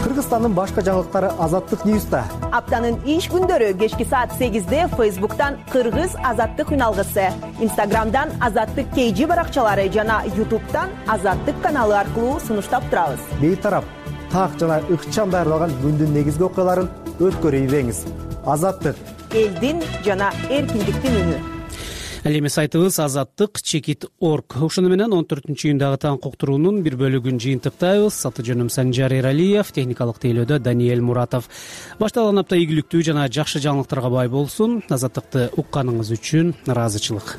Speaker 19: Кыргызстандын башка жаңылыктары Азаттык Ньюста.
Speaker 20: Аптанын иш күндөрү кечки саат сегизде Фейсбуктан Кыргыз Азаттык үналгысы, Инстаграмдан Азаттык кей жи баракчалары жана Ютубтан Азаттык каналы аркылуу сунуштап турабыз.
Speaker 19: Бейтарап, так жана ыкчам даярдалган күндүн негизги окуяларын өткөрүп ийбеңиз. Азаттык
Speaker 20: элдин жана эркиндиктин үнү.
Speaker 1: Ал эми сайтыбыз азаттык чекит орг. Ошону менен он төртүнчү июндагы таң уктуруунун бир бөлүгүн жыйынтыктайбыз. Аты жөнүм Санжар Эралиев, техникалык тейлөөдө Даниэль Муратов. Башталган апта ийгиликтүү жана жакшы жаңылыктарга бай болсун. Азаттыкты укканыңыз үчүн ыраазычылык.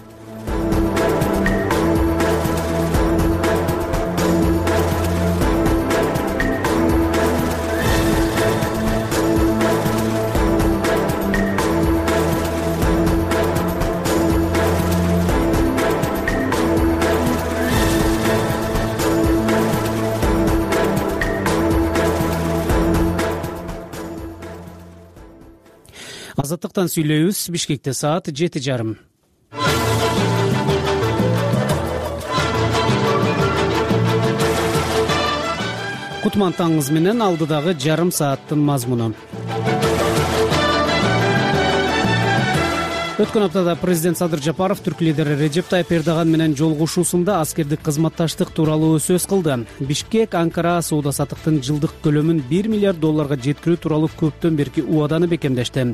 Speaker 1: Азаттыктан сүйлөйбүз. Бишкекте саат жети жарым. Кутман таңыңыз менен алдыдагы жарым сааттын мазмуну. Өткөн аптада президент Садыр Жапаров түрк лидери Режеп Тайып Эрдоган менен жолугушуусунда аскердик кызматташтык тууралуу сөз кылды. Бишкек Анкара соода саттыктын жылдык көлөмүн бир миллиард долларга жеткирүү тууралуу көптөн берки убаданы бекемдешти.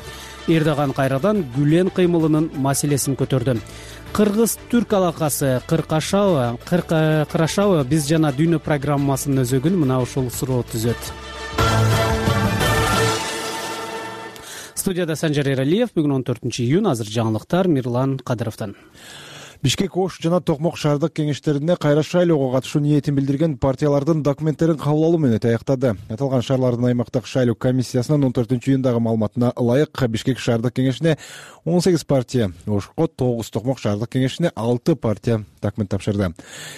Speaker 1: Эрдоган кайрадан Гүлен кыймылынын маселесин көтөрдү. Кыргыз-түрк алакасы кыркашабы, кырашабы биз жана дүйнө программасынын өзөгүн мына ушул суроо түзөт. Студияда Санжар Эралиев. Бүгүн он төртүнчү июнь. Азыр жаңылыктар Мирлан Кадыровдон.
Speaker 5: Бишкек Ош жана Токмок шаардык кеңештерине кайра шайлоого катышуу ниетин билдирген партиялардын документтерин кабыл алуу менен аяктады. Аталган шаарлардын аймактык шайлоо комиссиясынын он төртүнчү июндагы маалыматына ылайык Бишкек шаардык кеңешине он сегиз партия, Ошко тогуз, Токмок шаардык кеңешине алты партия документ тапшырды.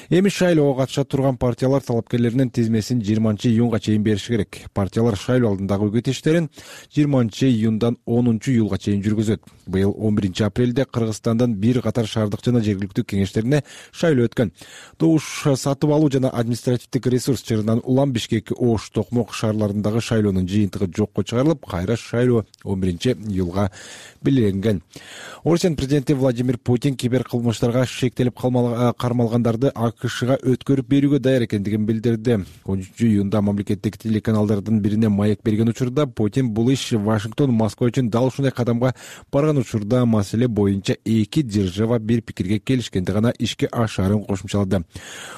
Speaker 5: Эми шайлоого катыша турган партиялар талапкерлеринин тизмесин жыйырманчы июнга чейин бериши керек. Партиялар шайлоо алдындагы үгүт иштерин жыйырманчы июндан онунчу июлга чейин жүргүзөт. Быйыл он биринчи апрелде Кыргызстандын бир катар шаардык жана жергиликтүү кеңештерине шайлоо өткөн. Добуш сатып алуу жана административдик ресурс чырынан улам Бишкек, Ош, Токмок шаарларындагы шайлоонун жыйынтыгы жокко чыгарылып, кайра шайлоо он биринчи июлга белгиленген. Орусиянын президенти Владимир Путин кибер кылмыштарга шектелип кармалгандарды АКШга өткөрүп берүүгө даяр экендигин билдирди. он үчүнчү июнда мамлекеттик телеканалдардын бирине маек берген учурда Путин бул иш Вашингтон, Москва үчүн дал ушундай кадамга барган учурда маселе боюнча эки держава бир пикирге келишкенди гана ишке ашаарын кошумчалады.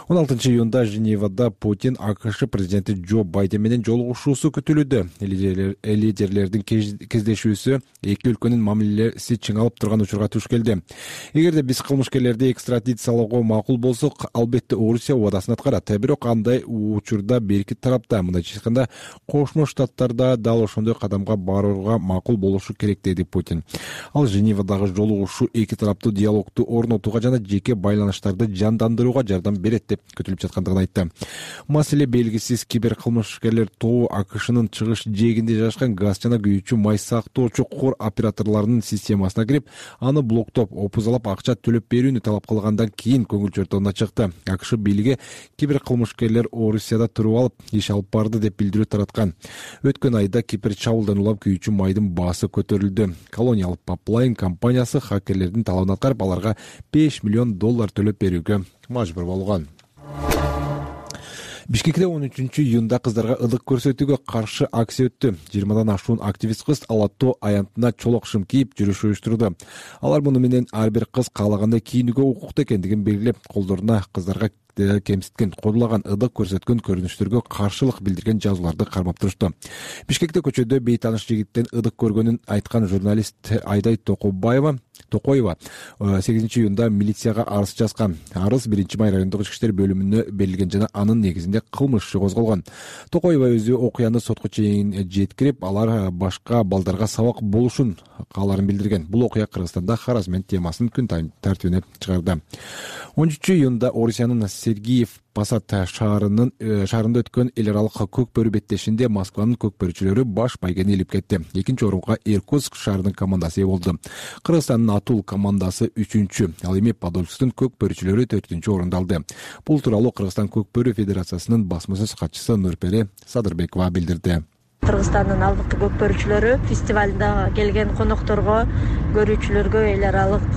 Speaker 5: он алтынчы июнда Женевада Путин АКШ президенти Джо Байден менен жолугушуусу күтүлүүдө. Лидерлердин кездешүүсү эки өлкөнүн мамилеси чыңалып турган учурга туш келди. Эгерде биз кылмышкерлерди экстрадициялоого макул болсок, албетте Орусия убадасын аткарат. Бирок андай учурда берки тарапта, мындайча айтканда, Кошмо Штаттарда дал ошондой кадамга барууга макул болушу керек, деди Путин. Ал Женевадагы жолугушуу эки тараптуу диалогду орнотууга жана жеке байланыштарды жандандырууга жардам берет деп күтүлүп жаткандыгын айтты. Маселе белгисиз кибер кылмышкерлер тобу АКШнын чыгыш жээгинде жайгашкан газ жана күйүүчү май сактоочу кор операторлорунун системасына кирип, аны блоктоп, опузалап акча төлөп берүүнү талап кылгандан кийин көңүл чортогуна чыкты. АКШ бийлиги кибер кылмышкерлер Орусияда туруп алып, иш алып барды деп билдирүү тараткан. Өткөн айда Кипр чабуулдан улам күйүүчү майдын баасы көтөрүлдү. Колониал Pipeline компаниясы хакерлердин талабын аткарып, аларга беш миллион доллар төлөп берүүгө мажбур болгон. Бишкекте он үчүнчү июнда кыздарга ылык көрсөтүүгө каршы акция өттү. жыйырмадан ашуун активист кыз Алатоо аянтына чолок шым кийип жүрүш уюштурду. Алар муну менен ар бир кыз каалагандай кийинүүгө укуктуу экендигин белгилеп, колдоруна кыздарга кемситкен, кодулаган, ылык көрсөткөн көрүнүштөргө каршылык билдирген жазууларды кармап турушту. Бишкекте көчөдө бейтааныш жигиттен ылык көргөнүн айткан журналист Айдай Токобаева Токоева сегизинчи июнда милицияга арыз жазган. Арыз биринчи май райондук ички иштер бөлүмүнө берилген жана анын негизинде кылмыш козголгон. Токоева өзү окуяны сотко чейин жеткирип, алар башка балдарга сабак болушун кааларын билдирген. Бул окуя Кыргызстанда харазмент темасын күн тартибине чыгарды. он үчүнчү июнда Орусиянын Сергиев Посад шаарынын шаарында өткөн эл аралык көк бөрү беттешинде Москванын көк бөрүчүлөрү баш байгени илип кетти. Экинчи орунга Иркутск шаарынын командасы ээ болду. Кыргызстандын Атул командасы үчүнчү, ал эми Подольскдун көк бөрүчүлөрү төртүнчү орунду алды. Бул тууралуу Кыргызстан көк бөрү федерациясынын басма сөз катчысы Нурпере Садырбекова билдирди.
Speaker 21: Кыргызстандын алдыңкы көкпөрүүчүлөрү фестивалда келген конокторго, көрүүчүлөргө эл аралык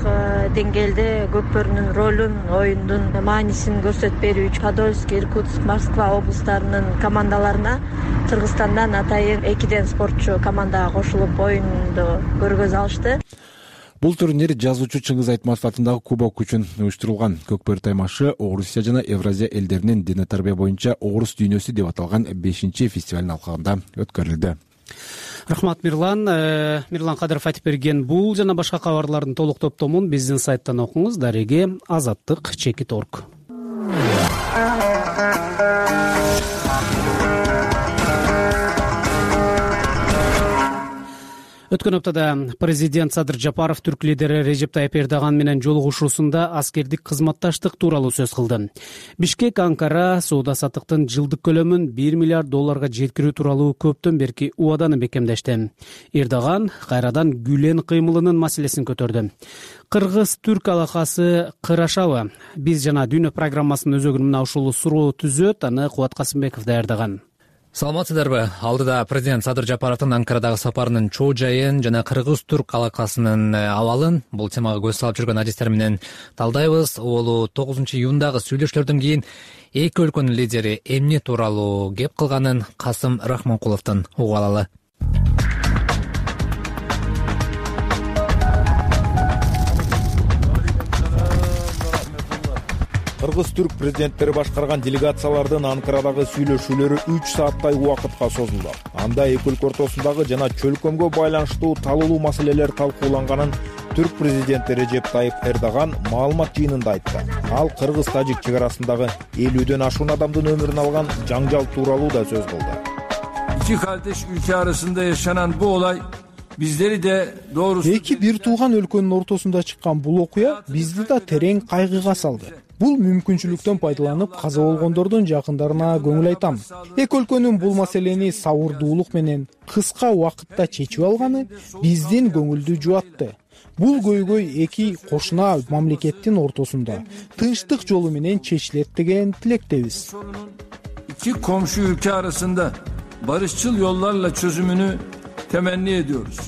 Speaker 21: деңгээлде көкпөрүнүн ролун, оюндун маанисин көрсөтүп берүү үчүн Подольск, Иркутск, Москва облустарынын командаларына Кыргызстандан атайын экиден спортчу командага кошулуп оюнду көргөзө алышты.
Speaker 5: Бул турнир жазуучу Чыңгыз Айтматов атындагы кубок үчүн уюштурулган. Көкпөр таймашы Орусия жана Евразия элдеринин дене тарбия боюнча Орус дүйнөсү деп аталган бешинчи фестивалдын алкагында өткөрүлдү.
Speaker 1: Рахмат Мирлан. Мирлан Кадыров айтып берген бул жана башка кабарлардын толук топтомун биздин сайттан окуңуз. Дареги азаттык чекит орг. Өткөн аптада президент Садыр Жапаров түрк лидери Режеп Тайып Эрдоган менен жолугушуусунда аскердик кызматташтык тууралуу сөз кылды. Бишкек Анкара соода саттыктын жылдык көлөмүн бир миллиард долларга жеткирүү тууралуу көптөн берки убаданы бекемдешти. Эрдоган кайрадан Гүлен кыймылынын маселесин көтөрдү. Кыргыз-түрк алакасы кырашабы? Биз жана Дүйнө программасынын өзөгүнүн мына ушул суроо түзөт. Аны Кубат Касымбеков даярдаган.
Speaker 22: Саламатсыздарбы? Алдыда президент Садыр Жапаровдун Анкарадагы сапарынын чоо жайын жана кыргыз-түрк алакасынын абалын бул темага көз салып жүргөн адистер менен талдайбыз. Ол тогузунчу июндагы сүйлөшүүлөрдөн кийин эки өлкөнүн лидери эмне тууралуу кеп кылганын Касым Рахманкуловдон угуп алалы.
Speaker 23: Кыргыз-түрк президенттери башкарган делегациялардын Анкарадагы сүйлөшүүлөрү үч сааттай убакытка созулду. Анда эки өлкө ортосундагы жана чөлкөмгө байланыштуу талуулуу маселелер талкууланганын түрк президенти Режеп Тайып Эрдоган маалымат жыйынында айтты. Ал кыргыз-тажик чек арасындагы элүүдөн ашуун адамдын өмүрүн алган жаңжал тууралуу да сөз кылды.
Speaker 10: İki kardeş ülke arasında yaşanan bu olay bizleri de doğrusu
Speaker 11: эки бир тууган өлкөнүн ортосунда чыккан бул окуя бизди да терең кайгыга салды. Бул мүмкүнчүлүктөн пайдаланып каза болгондордун жакындарына көңүл айтам. Эки өлкөнүн бул маселени сабырдуулук менен кыска убакытта чечип алганы биздин көңүлдү жубатты. Бул көйгөй эки кошуна мамлекеттин ортосунда тынчтык жолу менен чечилет деген тилектебиз.
Speaker 10: İki komşu ülke arasında barışçıl yollarla çözümünü temenni ediyoruz.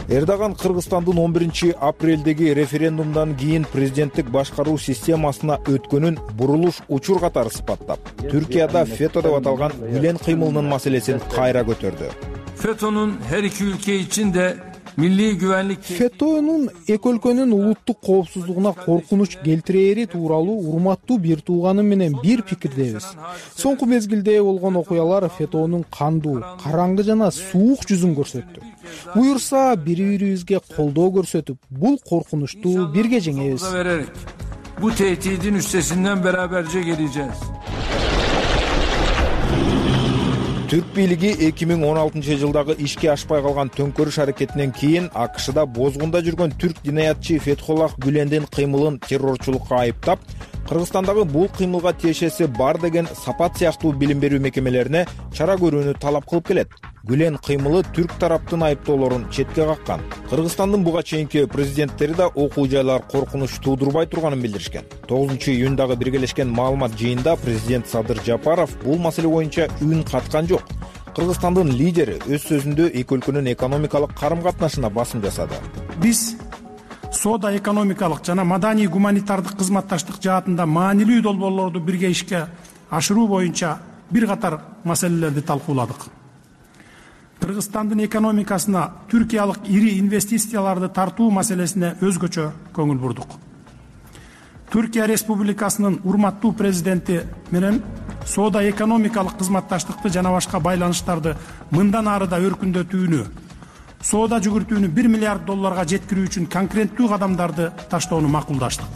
Speaker 23: Эрдоган Кыргызстандын он биринчи апрелдеги референдумдан кийин президенттик башкаруу системасына өткөнүн бурулуш учур катары сыпаттап, Түркияда фето деп аталган Гүлен кыймылынын маселесин кайра көтөрдү.
Speaker 10: FETÖ'nün her iki ülke için de milli güvenlik
Speaker 11: FETÖ'нүн эки өлкөнүн улуттук коопсуздугуна коркунуч келтирери тууралуу урматтуу бир тууганым менен бир пикирдебиз. Соңку мезгилде болгон окуялар FETÖ'нүн кандуу, караңгы жана суук жүзүн көрсөттү. Буюрса бири-бирибизге колдоо көрсөтүп, бул коркунучту бирге жеңебиз.
Speaker 10: Bu tehdidin üstesinden beraberce geleceğiz.
Speaker 23: Түрк бийлиги эки миң он алтынчы жылдагы ишке ашпай калган төңкөрүш аракетинен кийин АКШда бозгунда жүргөн түрк динаятчы Фетхуллах Гүлендин кыймылын террорчулукка айыптап, Кыргызстандагы бул кыймылга тиешеси бар деген Сапат сыяктуу билим берүү мекемелерине чара көрүүнү талап кылып келет. Гүлен кыймылы түрк тараптын айыптоолорун четке каккан. Кыргызстандын буга чейинки президенттери да окуу жайлар коркунуч туудурбай турганын билдиришкен. тогузунчу июндагы биргелешкен маалымат жыйынында президент Садыр Жапаров бул маселе боюнча үн каткан жок. Кыргызстандын лидери өз сөзүндө эки өлкөнүн экономикалык карым-катнашына басым жасады.
Speaker 3: Биз соода экономикалык жана маданий гуманитардык кызматташтык жаатында маанилүү долбоорлорду бирге ишке ашыруу боюнча бир катар маселелерди талкууладык. Кыргызстандын экономикасына түркиялык ири инвестицияларды тартуу маселесине өзгөчө көңүл бурдук. Түркия Республикасынын урматтуу президенти менен соода экономикалык кызматташтыкты жана башка байланыштарды мындан ары да өркүндөтүүнү, соода жүгүртүүнү бир миллиард долларга жеткирүү үчүн конкреттүү кадамдарды таштоону макулдаштык.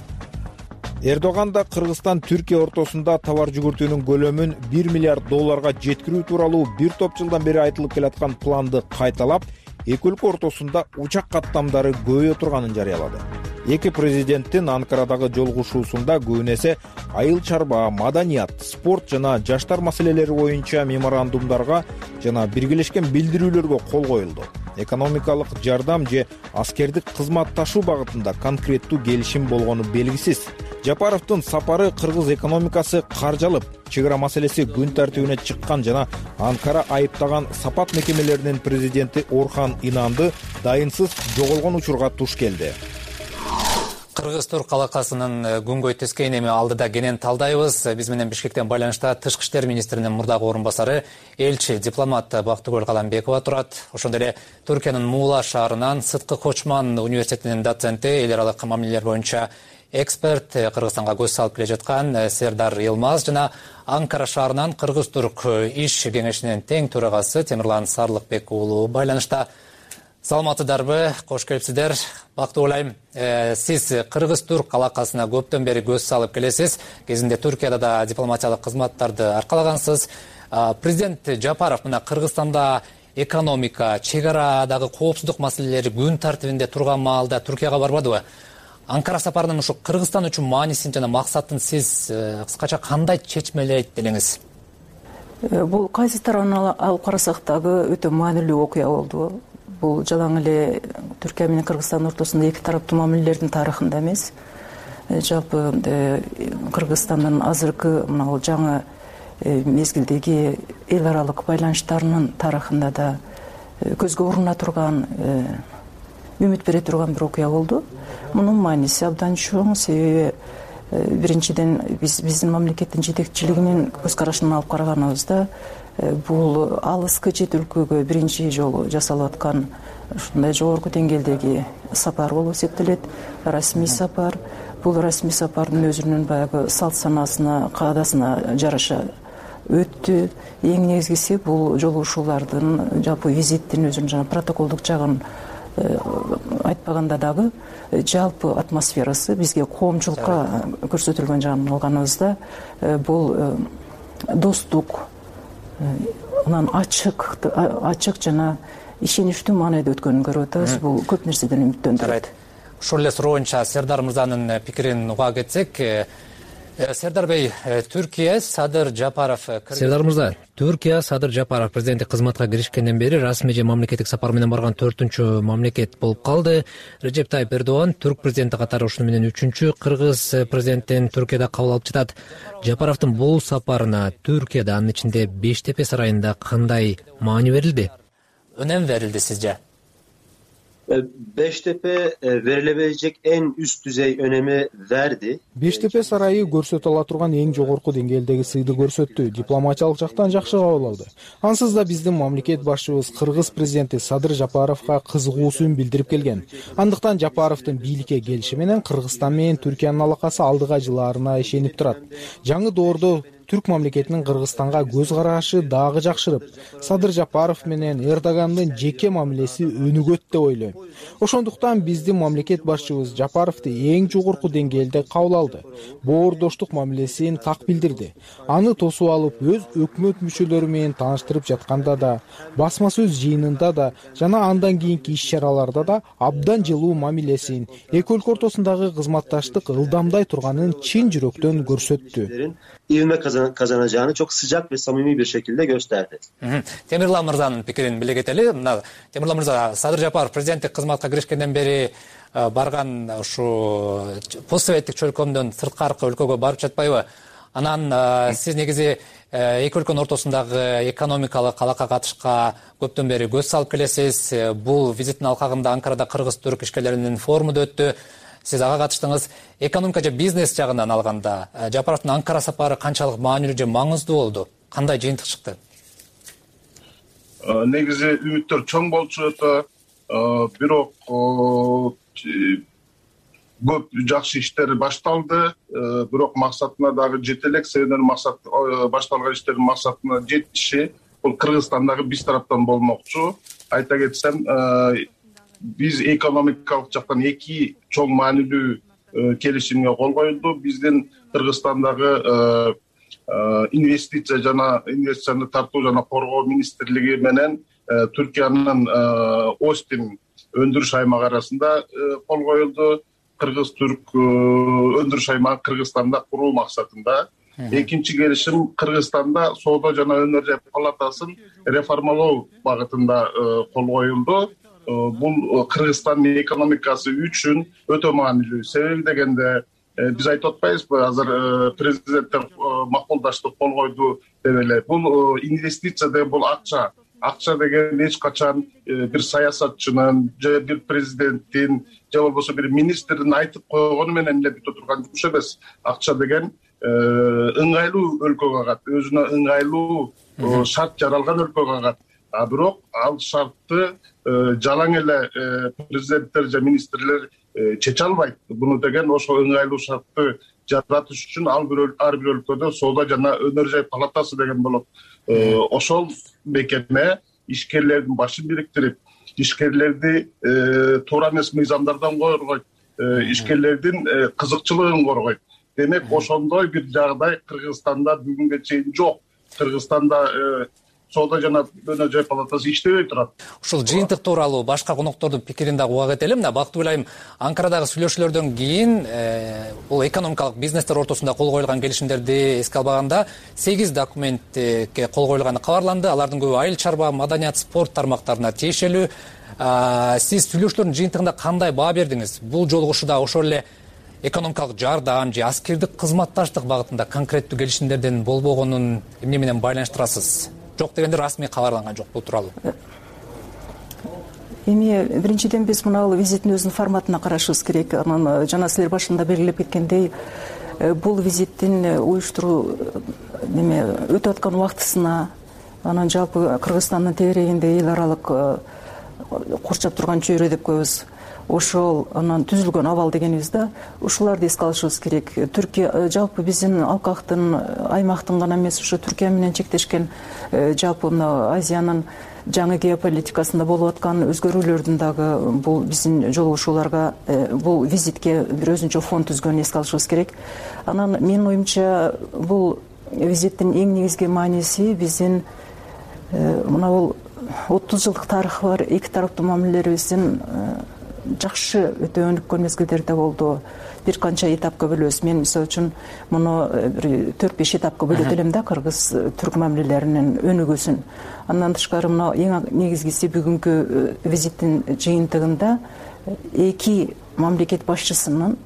Speaker 23: Эрдоган да Кыргызстан Түркия ортосунда товар жүгүртүүнүн көлөмүн бир миллиард долларга жеткирүү тууралуу бир топ жылдан бери айтылып келаткан планды кайталап, эки өлкө ортосунда учак каттамдары көбөйө турганын жарыялады. Эки президенттин Анкарадагы жолугушуусунда көбүн эсе айыл чарба, маданият, спорт жана жаштар маселелери боюнча меморандумдарга жана биргелешкен билдирүүлөргө кол коюлду. Экономикалык жардам же аскердик кызматташуу багытында конкреттүү келишим болгону белгисиз. Жапаровдун сапары кыргыз экономикасы каржалып, чек ара маселеси күн тартибине чыккан жана Анкара айыптаган сапат мекемелеринин президенти Орхан Инанды дайынсыз жоголгон учурга туш келди.
Speaker 22: Кыргыз-турк алакасынын күнгөй тескейин эми алдыда кенен талдайбыз. Биз менен Бишкектен байланышта Тышкы иштер министринин мурдагы орун басары, элчи дипломат Бактыгүл Каламбекова турат. Ошондой эле Түркиянын Муула шаарынан Сыткы Кочман университетинин доценти, эл аралык мамилелер боюнча эксперт, Кыргызстанга көз салып келе жаткан Сердар Йылмаз жана Анкара шаарынан Кыргыз-турк иш кеңешинин тең төрагасы Темирлан Сарлыкбек уулу байланышта. Саламатсыздарбы, кош келипсиздер. Бактыгүл айым, сиз Кыргыз-турк алакасына көптөн бери көз салып келесиз. Кезинде Түркияда да дипломатиялык кызматтарды аркалагансыз. Президент Жапаров мына Кыргызстанда экономика, чек арадагы коопсуздук маселелери күн тартибинде турган маалда Түркияга барбадыбы? Анкара сапарынын ушу Кыргызстан үчүн маанисин жана максатын сиз кыскача кандай чечмелейт делеңиз?
Speaker 2: Бул кайсы тарабынан алып карасак дагы өтө маанилүү окуя болду. Бул жалаң эле Түркия менен Кыргызстан ортосунда эки тараптуу мамилелердин тарыхында эмес, жалпы Кыргызстандын азыркы мына жаңы мезгилдеги эл аралык байланыштарынын тарыхында да көзгө уруна турган, үмүт бере турган бир окуя болду. Мунун мааниси абдан чоң, себеби биринчиден биз биздин мамлекеттин жетекчилигинин көз карашынан алып караганыбызда бул алыскы чет өлкөгө биринчи жолу жасалып аткан ушундай жогорку деңгээлдеги сапар болуп эсептелет. Расмий сапар. Бул расмий сапардын өзүнүн баягы салт санаасына, каадасына жараша өттү. Эң негизгиси бул жолугушуулардын, жалпы визиттин өзүнүн жана протоколдук жагын айтпаганда дагы жалпы атмосферасы бизге коомчулукка көрсөтүлгөн жагын алганыбызда бул достук, анан ачык ачык жана ишеничтүү маанайда өткөнүн көрүп атабыз. Бул көп нерседен үмүттөндүрөт.
Speaker 22: Ошол эле суроойнча Сердар мырзанын пикирин уга кетсек, Сердар бей, Түркия Садыр Жапаров. Сердар мырза, Түркия Садыр Жапаров президенттик кызматка киришкенден бери расмий же мамлекеттик сапар менен барган төртүнчү мамлекет болуп калды. Режеп Тайып Эрдоган түрк президенти катары ушуну менен үчүнчү кыргыз президентин Түркияда кабыл алып жатат. Жапаровдун бул сапарына Түркияда, анын ичинде Бештепе сарайында кандай маани берилди? Önем verildi sizce?
Speaker 12: Beştepe verilebilecek en üst düzey önemi verdi.
Speaker 11: Бештепе сарайы көрсөтө ала турган эң жогорку деңгээлдеги сыйды көрсөттү. Дипломатиялык жактан жакшы кабыл алды. Ансыз да биздин мамлекет башчыбыз Кыргыз президенти Садыр Жапаровго кызыгуусун билдирип келген. Андыктан Жапаровдун бийликке келиши менен Кыргызстан менен Түркиянын алакасы алдыга жылаарына ишенип турат. Жаңы доордо Түрк мамлекетинин Кыргызстанга көз карашы дагы жакшырып, Садыр Жапаров менен Эрдогандын жеке мамилеси өнүгөт деп ойлойм. Ошондуктан биздин мамлекет башчыбыз Жапаровду эң жогорку деңгээлде кабыл алды. Боордоштук мамилесин так билдирди. Аны тосуп алып, өз өкмөт мүчөлөрү менен тааныштырып жатканда да, басма сөз жыйынында да жана андан кийинки иш-чараларда да абдан жылуу мамилесин, эки өлкө ортосундагы кызматташтык ылдамдай турганын чын жүрөктөн көрсөттү.
Speaker 12: İvme kazanacağını çok sıcak ve samimi bir şekilde gösterdi.
Speaker 22: Темирлан мырзанын пикирин биле кетели. Мына Темирлан мырза, Садыр Жапаров президенттик кызматка киришкенден бери барган ушу постсоветтик чөлкөмдөн сырткаркы өлкөгө барып жатпайбы? Анан сиз негизи эки өлкөнүн ортосундагы экономикалык алака катышка көптөн бери көз салып келесиз. Бул визиттин алкагында Анкарада кыргыз-түрк ишкерлеринин форуму да өттү. Сиз ага катыштыңыз. Экономика же бизнес жагынан алганда Жапаровдун Анкара сапары канчалык маанилүү же маңыздуу болду? Кандай жыйынтык чыкты?
Speaker 6: Негизи үмүттөр чоң болчу атат. Бирок көп жакшы иштер башталды. Бирок максатына дагы жете элек. Себебинен максат башталган иштердин максатына жетиши бул Кыргызстандагы биз тараптан болмокчу. Айта кетсем, биз экономикалык жактан эки чоң маанилүү келишимге кол коюлду. Биздин Кыргызстандагы инвестиция жана инвестицияны тартуу жана коргоо министрлиги менен Түркиянын Остин өндүрүш аймагы арасында кол коюлду. Кыргыз-түрк өндүрүш аймагы Кыргызстанда куруу максатында. Экинчи келишим Кыргызстанда соода жана өнөр жай палатасын реформалоо багытында кол коюлду. Бул Кыргызстандын экономикасы үчүн өтө маанилүү. Себеби дегенде биз айтып атпайбызбы азыр президенттер макулдаштык кол койду деп эле. Бул инвестиция деген бул акча. Акча деген эч качан бир саясатчынын же бир президенттин же болбосо бир министрдин айтып койгону менен эле бүтө турган жумуш эмес. Акча деген ыңгайлуу өлкөгө кагат, өзүнө ыңгайлуу шарт жаралган өлкөгө кагат. А бирок ал шартты жалаң эле президенттер же министрлер чече албайт. Буну деген ошо ыңгайлуу шартты жаратыш үчүн ар бир өлкөдө соода жана өнөр жай палатасы деген болот. Ошол мекеме ишкерлердин башын бириктирип, ишкерлерди туура эмес мыйзамдардан коргойт, ишкерлердин кызыкчылыгын коргойт. Демек, ошондой бир жагдай Кыргызстанда бүгүнгө чейин жок. Кыргызстанда соода жана өнөр жай палатасы иштебей турат.
Speaker 22: Ушул жыйынтык тууралуу башка коноктордун пикирин дагы уга кетели. Мына бактуу билайм, Анкарадагы сүйлөшүүлөрдөн кийин бул экономикалык бизнестер ортосунда кол коюлган келишимдерди эске албаганда сегиз документке кол коюлганы кабарланды. Алардын көбү айыл чарба, маданият, спорт тармактарына тиешелүү. Сиз сүйлөшүүлөрдүн жыйынтыгында кандай баа бердиңиз? Бул жолугушууда ошол эле экономикалык жардам же аскердик кызматташтык багытында конкреттүү келишимдердин болбогонун эмне менен байланыштырасыз? Жок дегенде расмий кабарланган жок бул тууралуу.
Speaker 2: Эми биринчиден биз мына визиттин өзүнүн форматына карашыбыз керек. Анан жана силер башында белгилеп кеткендей, бул визиттин уюштуруу неме өтүп аткан убактысына, анан жалпы Кыргызстандын тегерегинде эл аралык курчап турган чөйрө деп коебуз. Ошол анан түзүлгөн абал дегенибиз да, ушуларды эске алышыбыз керек. Түркия жалпы биздин алкактын, аймактын гана эмес, ушу Түркия менен чектешкен жалпы мына Азиянын жаңы геополитикасында болуп аткан өзгөрүүлөрдүн дагы бул биздин жолугушууларга, бул визитке бир өзүнчө фон түзгөнүн эске алышыбыз керек. Анан менин оюмча бул визиттин эң негизги мааниси биздин мына бул отуз жылдык тарыхы бар эки тараптуу мамилелерибиздин жакшы өтө өнүккөн мезгилдерде болду. Бир канча этапка бөлөбүз. Мен мисалы үчүн муну бир төрт беш этапка бөлөт элем да, кыргыз-түрк мамилелеринин өнүгүүсүн. Андан тышкары мына эң негизгиси бүгүнкү визиттин жыйынтыгында эки мамлекет башчысынын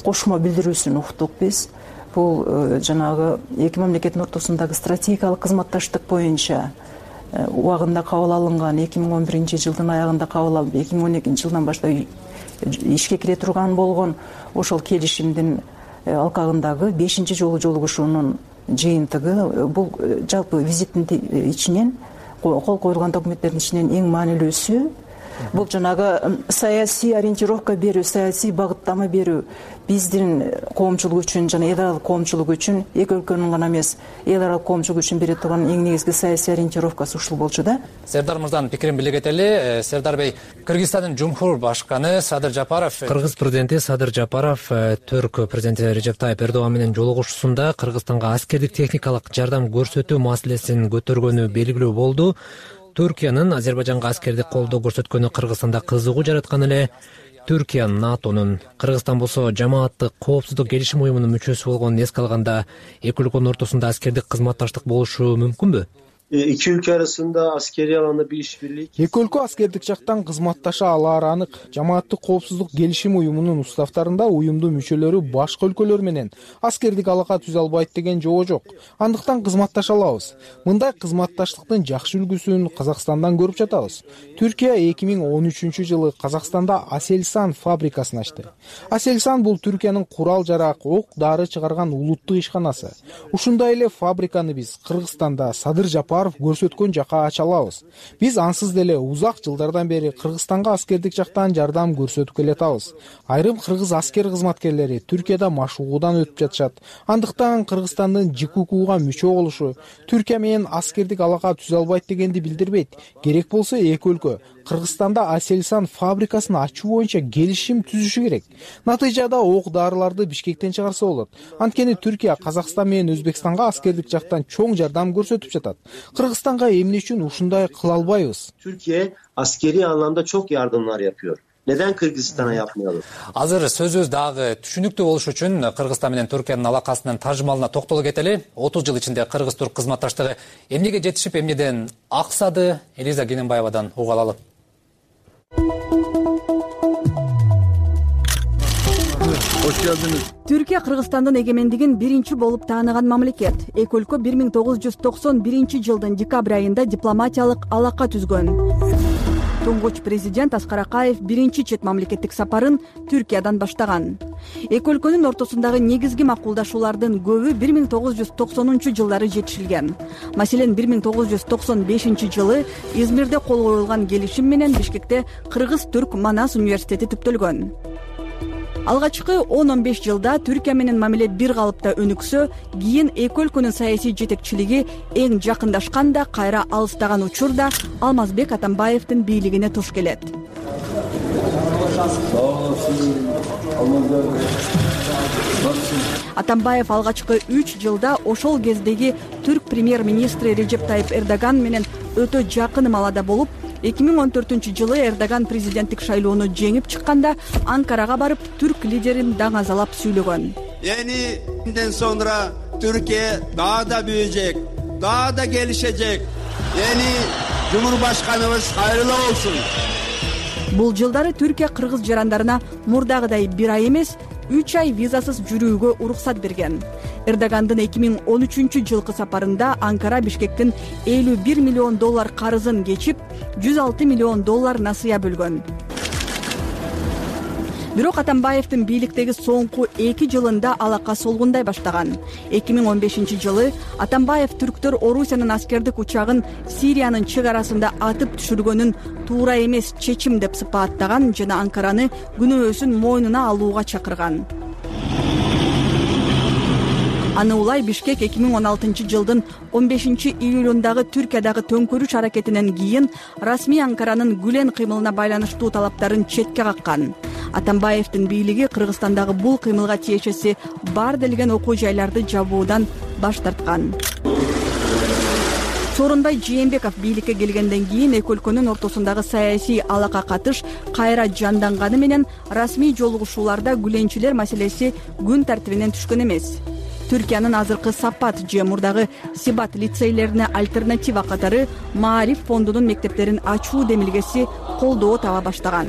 Speaker 2: кошмо билдирүүсүн уктук биз. Бул жанагы эки мамлекеттин ортосундагы стратегиялык кызматташтык боюнча убагында кабыл алынган, эки миң он биринчи жылдын аягында кабыл алып, эки миң он экинчи жылдан баштап ишке кире турган болгон ошол келишимдин алкагындагы бешинчи жолу жолугушуунун жыйынтыгы. Бул жалпы визиттин ичинен, кол коюлган документтердин ичинен эң маанилүүсү бул жанагы саясий ориентировка берүү, саясий багыттама берүү биздин коомчулук үчүн жана эл аралык коомчулук үчүн, эки өлкөнүн гана эмес, эл аралык коомчулук үчүн бере турган эң негизги саясий ориентировкасы ушул болчу да.
Speaker 22: Сердар мырзанын пикирин биле кетели. Сердар бей, Кыргызстандын Жумхур башканы Садыр Жапаров, Кыргыз президенти Садыр Жапаров Түрк президенти Режеп Тайып Эрдоган менен жолугушуусунда Кыргызстанга аскердик техникалык жардам көрсөтүү маселесин көтөргөнү белгилүү болду. Түркиянын Азербайжанга аскердик колдоо көрсөткөнү Кыргызстанда кызыгуу жараткан эле. Түркия НАТОнун, Кыргызстан болсо жамааттык коопсуздук келишим уюмунун мүчөсү болгонун эске алганда эки өлкөнүн ортосунда аскердик кызматташтык болушу мүмкүнбү?
Speaker 12: Эки өлкө арасында аскерий аланда бир иш-бирлик.
Speaker 11: Эки өлкө аскердик жактан кызматташа алаары анык. Жамааттык коопсуздук келишим уюмунун уставтарында уюмдун мүчөлөрү башка өлкөлөр менен аскердик алака түзө албайт деген жоо жок. Андыктан кызматташа алабыз. Мындай кызматташтыктын жакшы үлгүсүн Казакстандан көрүп жатабыз. Түркия эки миң он үчүнчү жылы Казакстанда Aselsan фабрикасын ачты. Aselsan бул Түркиянын курал жарак, ок дары чыгарган улуттук ишканасы. Ушундай эле фабриканы биз Кыргызстанда Садыр Жапаров көрсөткөн жака ача алабыз. Биз ансыз деле узак жылдардан бери Кыргызстанга аскердик жактан жардам көрсөтүп келатабыз. Айрым кыргыз аскер кызматкерлери Түркияда машыгуудан өтүп жатышат. Андыктан Кыргызстандын ЖККуга мүчө болушу Түркия менен аскердик алака түзө албайт дегенди билдирбейт. Керек болсо эки өлкө Кыргызстанда Aselsan фабрикасын ачуу боюнча келишим түзүшү керек. Натыйжада ок дарыларды Бишкектен чыгарса болот. Анткени Түркия Казакстан менен Өзбекстанга аскердик жактан чоң жардам көрсөтүп жатат. Кыргызстанга эмне үчүн ушундай кыла албайбыз?
Speaker 12: Türkiye askeri anlamda çok yardımlar yapıyor. Neden Kırgızistan'a yapmayalım?
Speaker 22: Азыр сөзүбүз дагы түшүнүктүү болуш үчүн Кыргызстан менен Түркиянын алакасынын тажымалына токтоло кетели. отуз жыл ичинде Кыргыз-Түрк кызматташтыгы эмнеге жетишип, эмнеден аксады? Элиза Кененбаевадан угуп алалы.
Speaker 8: кош келдиңиз.
Speaker 9: Түркия Кыргызстандын эгемендигин биринчи болуп тааныган мамлекет. Эки өлкө бир миң тогуз жүз токсон биринчи жылдын декабрь айында дипломатиялык алака түзгөн. Туңгуч президент Аскар Акаев биринчи чет мамлекеттик сапарын Түркиядан баштаган. Эки өлкөнүн ортосундагы негизги макулдашуулардын көбү бир миң тогуз жүз токсонунчу жылдары жетишилген. Маселен, бир миң тогуз жүз токсон бешинчи жылы Измирде кол коюлган келишим менен Бишкекте Кыргыз-Түрк Манас университети түптөлгөн. Алгачкы он он беш жылда Түркия менен мамиле бир калыпта өнүксө, кийин эки өлкөнүн саясий жетекчилиги эң жакындашканда, кайра алыстаган учурда Алмазбек Атамбаевдин бийлигине туш келет. Атамбаев алгачкы үч жылда ошол кездеги түрк премьер-министри Режеп Тайип Эрдоган менен өтө жакын маалада болуп, эки миң он төртүнчү жылы Эрдоган президенттик шайлоону жеңип чыкканда Анкарага барып түрк лидерин даңазалап сүйлөгөн.
Speaker 13: Eniden sonra Türkiye daha da büyüyecek, daha da gelişecek. Yeni Cumhurbaşkanımız hayırlı olsun.
Speaker 9: Бул жылдары Түркия кыргыз жарандарына мурдагыдай бир ай эмес, үч ай визасыз жүрүүгө уруксат берген. Эрдогандын эки миң он үчүнчү жылкы сапарында Анкара Бишкектин элүү бир миллион доллар карызын кечип, жүз алты миллион доллар насыя бөлгөн. Бирок Атамбаевдин бийликтеги соңку эки жылында алака солгундай баштаган. эки миң он бешинчи жылы Атамбаев түрктөр Орусиянын аскердик учагын Сириянын чек арасында атып түшүргөнүн туура эмес чечим деп сыпаттаган жана Анкараны күнөөсүн мойнуна алууга чакырган. Аны улай Бишкек эки миң он алтынчы жылдын он бешинчи июлундагы Түркиядагы төңкөрүш аракетинен кийин расмий Анкаранын Гүлен кыймылына байланыштуу талаптарын четке каккан. Атамбаевдин бийлиги Кыргызстандагы бул кыймылга тиешеси бар делген окуу жайларды жабуудан баш тарткан. Сооронбай Жээнбеков бийликке келгенден кийин эки өлкөнүн ортосундагы саясий алака катыш кайра жанданганы менен расмий жолугушууларда гүленчилер маселеси күн тартибинен түшкөн эмес. Түркиянын азыркы Сапат же мурдагы Сибат лицейлерине альтернатива катары Маариф фондунун мектептерин ачуу демилгеси колдоо таба баштаган.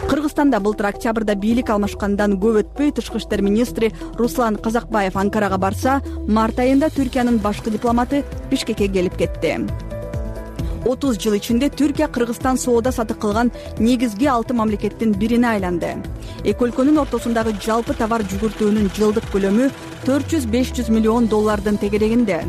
Speaker 9: Кыргызстанда былтыр октябрда бийлик алмашкандан көп өтпөй тышкы иштер министри Руслан Казакбаев Анкарага барса, март айында Түркиянын башкы дипломаты Бишкекке келип кетти. отуз жыл ичинде Түркия Кыргызстан соода сатык кылган негизги алты мамлекеттин бирине айланды. Эки өлкөнүн ортосундагы жалпы товар жүгүртүүнүн жылдык көлөмү төрт жүз беш жүз миллион доллардын тегерегинде.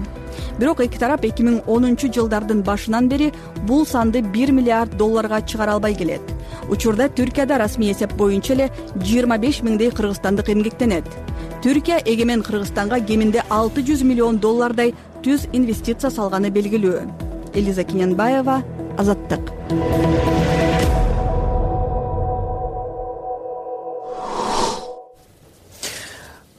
Speaker 9: Бирок эки тарап эки миң онунчу жылдардын башынан бери бул санды бир миллиард долларга чыгара албай келет. Учурда Түркияда расмий эсеп боюнча эле жыйырма беш миңдей кыргызстандык эмгектенет. Түркия эгемен Кыргызстанга кеминде алты жүз миллион доллардай түз инвестиция салганы белгилүү. Элиза Кинянбаева, Азаттык.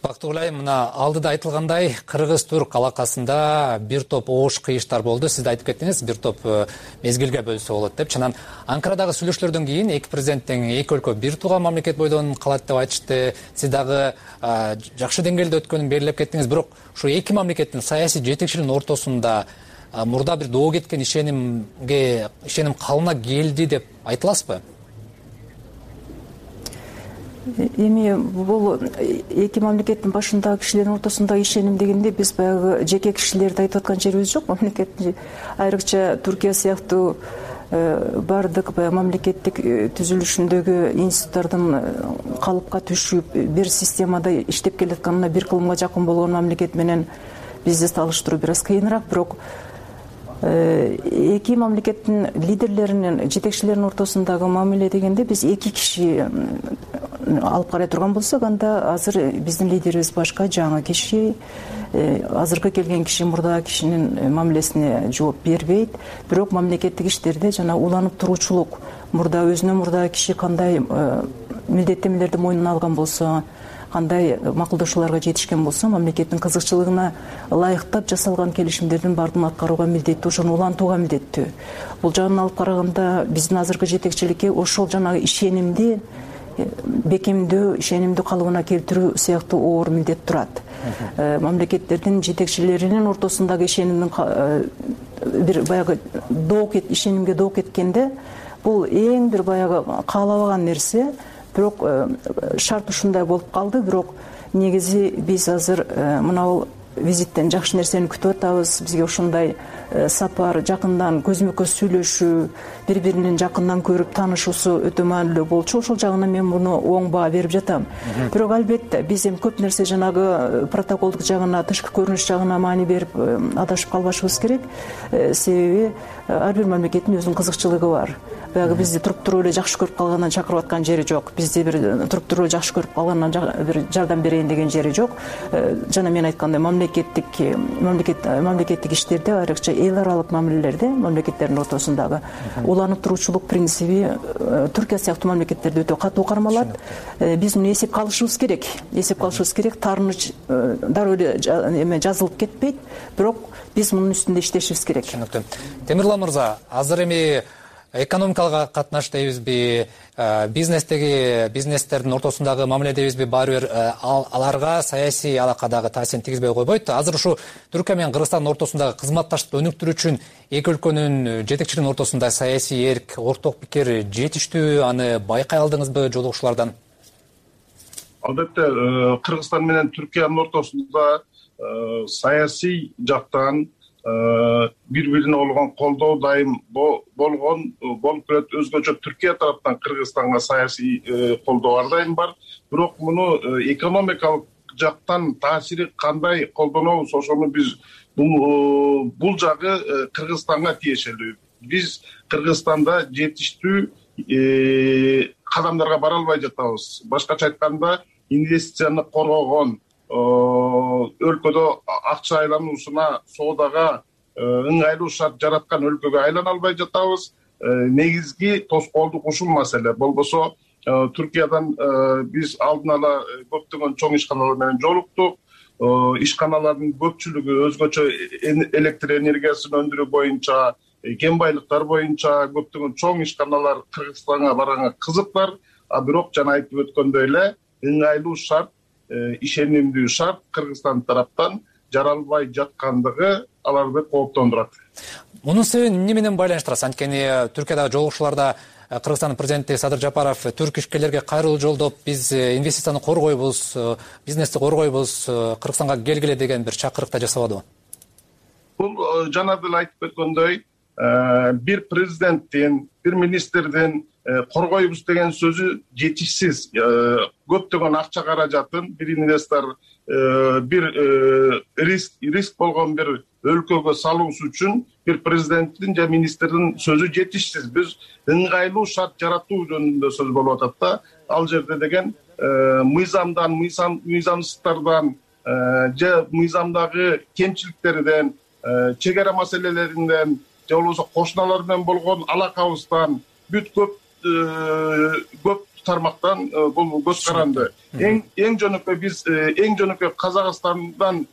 Speaker 22: Бактыгүлай, мына алдыда айтылгандай, Кыргыз-Түрк алакасында бир топ оош кыйыштар болду. Сиз айтып кеттиңиз, бир топ мезгилге бөлсө болот деп. Чынан Анкарадагы сүйлөшүүлөрдөн кийин эки президенттин эки өлкө бир тууган мамлекет бойдон калат деп айтышты. Сиз дагы жакшы деңгээлде өткөнүн белгилеп кеттиңиз. Бирок ушу эки мамлекеттин саясий жетекчилигинин ортосунда мурда бир доо кеткен ишенимге ишеним калына келди деп айтыласызбы?
Speaker 2: Эми бул эки мамлекеттин башындагы кишилердин ортосундагы ишеним дегенде биз баягы жеке кишилерди айтып аткан жерибиз жок. Мамлекеттин айрыкча Түркия сыяктуу бардык баягы мамлекеттик түзүлүшүндөгү институттардын калыпка түшүп бир системада иштеп келатканына бир кылымга жакын болгон мамлекет менен бизди салыштыруу бир аз кыйыныраак. Бирок эки мамлекеттин лидерлеринин, жетекчилеринин ортосундагы мамиле дегенде биз эки киши алып карай турган болсок, анда азыр биздин лидерибиз башка, жаңы киши, азыркы келген киши мурдагы кишинин мамилесине жооп бербейт. Бирок мамлекеттик иштерде жана уланып туруучулук, мурда өзүнө мурдагы киши кандай милдеттенмелерди мойнуна алган болсо, кандай макулдашууларга жетишкен болсо, мамлекеттин кызыкчылыгына ылайыктап жасалган келишимдердин баардыгын аткарууга милдеттүү, ошону улантууга милдеттүү. Бул жагынан алып караганда биздин азыркы жетекчиликке ошол жанагы ишенимди бекемдөө, ишенимди калыбына келтирүү сыяктуу оор милдет турат. Мамлекеттердин жетекчилеринин ортосундагы ишенимдин бир баягы доо кет ишенимге доо кеткенде, бул эң бир баягы каалабаган нерсе. бирок шарт ушундай болуп калды. Бирок негизи биз азыр мына визиттен жакшы нерсени күтүп атабыз. Бизге ушундай сапар, жакындан көзмө көз сүйлөшүү, бири биринин жакындан көрүп таанышуусу өтө маанилүү болчу. Ошол жагынан мен муну оң баа берип жатам. Бирок албетте биз эми көп нерсе жанагы протоколдук жагына, тышкы көрүнүш жагына маани берип адашып калбашыбыз керек. Себеби ар бир мамлекеттин өзүнүн кызыкчылыгы бар. Баягы бизди туруп туруп эле жакшы көрүп калгандан чакырып аткан жери жок. Бизди бир туруп туруп эле жакшы көрүп калгандан бир жардам берейин деген жери жок. Жана мен айткандай мамлекеттик мамлекет мамлекеттик иштерде, айрыкча эл аралык мамилелерде, мамлекеттердин ортосундагы уланып туруучулук принциби Түркия сыяктуу мамлекеттерде өтө катуу кармалат. Биз муну эсепке алышыбыз керек. Эсепке алышыбыз керек. Таарыныч дароо эле эме жазылып кетпейт, бирок биз мунун үстүндө иштешибиз керек.
Speaker 22: Түшүнүктүү. Темирлан мырза, азыр эми экономикалык катнаш дейбизби, бизнестеги бизнестердин ортосундагы мамиле дейбизби, баары бир аларга саясий алакадагы таасирин тийгизбей койбойт. Азыр ушу Түркия менен Кыргызстандын ортосундагы кызматташтыкты өнүктүрүү үчүн эки өлкөнүн жетекчилигинин ортосунда саясий эрк, орток пикир жетиштүү, аны байкай алдыңызбы жолугушуулардан?
Speaker 6: Албетте, Кыргызстан менен Түркиянын ортосунда саясий жактан бири-бирине болгон колдоо дайым болгон болуп келет. Өзгөчө Түркия тараптан Кыргызстанга саясий колдоо ар дайым бар. Бирок муну экономикалык жактан таасири кандай колдонобуз, ошону биз бул жагы Кыргызстанга тиешелүү. Биз Кыргызстанда жетиштүү кадамдарга бара албай жатабыз. Башкача айтканда, инвестицияны коргогон, өлкөдө акча айлануусуна, соодага ыңгайлуу шарт жараткан өлкөгө айлана албай жатабыз. Негизги тоскоолдук ушул маселе. Болбосо Түркиядан биз алдын ала көптөгөн чоң ишканалар менен жолуктук. Ишканалардын көпчүлүгү өзгөчө электр энергиясын өндүрүү боюнча, кен байлыктар боюнча көптөгөн чоң ишканалар Кыргызстанга барганга кызыктар. А бирок жана айтып өткөндөй эле, ыңгайлуу шарт, ишенимдүү шарт Кыргызстан тараптан жаралбай жаткандыгы аларды кооптондурат.
Speaker 22: Мунун себебин эмне менен байланыштырасыз? Анткени Түркиядагы жолугушууларда Кыргызстандын президенти Садыр Жапаров түрк ишкерлерге кайрылуу жолдоп, биз инвестицияны коргойбуз, бизнести коргойбуз, Кыргызстанга келгиле деген бир чакырык да жасабадыбы?
Speaker 6: Бул жана деле айтып өткөндөй, бир президенттин, бир министрдин коргойбуз деген сөзү жетишсиз. Көптөгөн акча каражатын бир инвестор бир риск риск болгон бир өлкөгө салуусу үчүн бир президенттин же министрдин сөзү жетишсиз. Биз ыңгайлуу шарт жаратуу жөнүндө сөз болуп атат да. Ал жерде деген мыйзамдан, мыйзамсыздыктардан же мыйзамдагы кемчиликтерден, чек ара маселелеринен же болбосо кошуналар менен болгон алакабыздан бүт көп көп тармактан бул көз каранды. Эң эң жөнөкөй биз эң жөнөкөй Казакстандан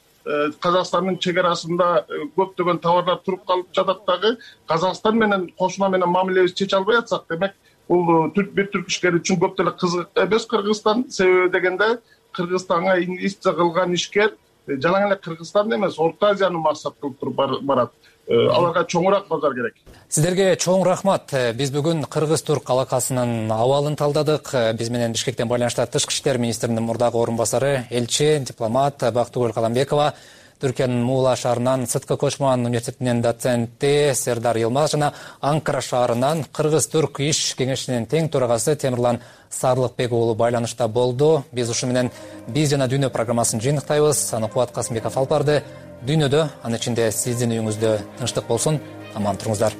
Speaker 6: Казакстандын чек арасында көптөгөн товарлар туруп калып жатат дагы. Казакстан менен кошуна менен мамилебизди чече албай атсак, демек бул бир түрк ишкери үчүн көп деле кызык эмес Кыргызстан. Себеби дегенде Кыргызстанга инвестиция кылган ишкер жана эле Кыргызстан эмес, Орто Азияны максат кылып туруп барат. Аларга чоңураак базар керек.
Speaker 22: Сиздерге чоң рахмат. Биз бүгүн Кыргыз-Түрк алакасынын абалын талдадык. Биз менен Бишкектен байланышта Тышкы иштер министринин мурдагы орун басары, элчи, дипломат Бактыгүл Каламбекова, Түркиянын Муула шаарынан Сыткы Кочман университетинин доценти Сердар Йылмаз жана Анкара шаарынан Кыргыз-Түрк иш кеңешинин тең төрагасы Темирлан Сарлыкбек уулу байланышта болду. Биз ушу менен Биз жана Дүйнө программасын жыйынтыктайбыз. Аны Кубат Касымбеков алып барды. Дүйнөдө, анын ичинде сиздин үйүңүздө тынчтык болсун. Аман туруңуздар.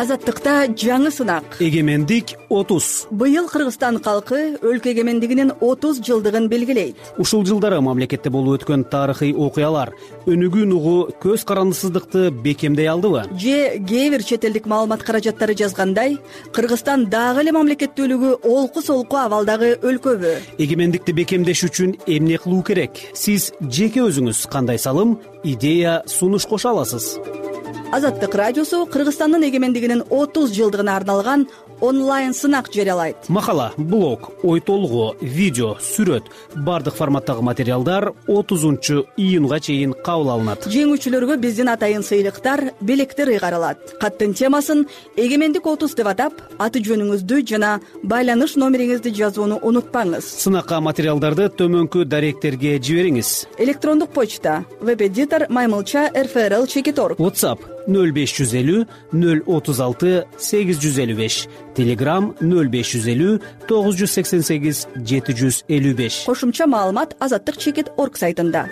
Speaker 9: Азаттыкта жаңы сынак.
Speaker 1: Эгемендик отуз.
Speaker 9: Быйыл Кыргызстан калкы өлкө эгемендигинин отуз жылдыгын белгилейт.
Speaker 1: Ушул жылдары мамлекетте болуп өткөн тарыхый окуялар өнүгүүнү угуу көз карандысыздыкты бекемдей алдыбы?
Speaker 9: Же кээ бир чет элдик маалымат каражаттары жазгандай, Кыргызстан дагы эле мамлекеттүүлүгү олку-солку абалдагы өлкөбү?
Speaker 1: Эгемендикти бекемдеш үчүн эмне кылуу керек? Сиз жеке өзүңүз кандай салым, идея, сунуш кошо аласыз?
Speaker 9: Азаттык радиосу Кыргызстандын эгемендигинин отуз жылдыгына арналган онлайн сынак жарыялайт.
Speaker 1: Макала, блог, ой толгоо, видео, сүрөт бардык форматтагы материалдар отузунчу июнга чейин кабыл алынат.
Speaker 9: Жеңүүчүлөргө биздин атайын сыйлыктар, белектер ыйгарылат. Каттын темасын эгемендик отуз деп атап, аты жөнүңүздү жана байланыш номериңизди жазууну унутпаңыз.
Speaker 1: Сынакка материалдарды төмөнкү даректерге жибериңиз.
Speaker 9: Электрондук почта веб-эдитор маймылча эр эф эр эл чекит орг.
Speaker 1: WhatsApp нөл беш жүз элүү нөл отуз алты сегиз жүз элүү беш. Telegram нөл беш жүз элүү тогуз жүз сексен сегиз жети жүз элүү беш.
Speaker 9: Кошумча маалымат азаттык чекит орг сайтында.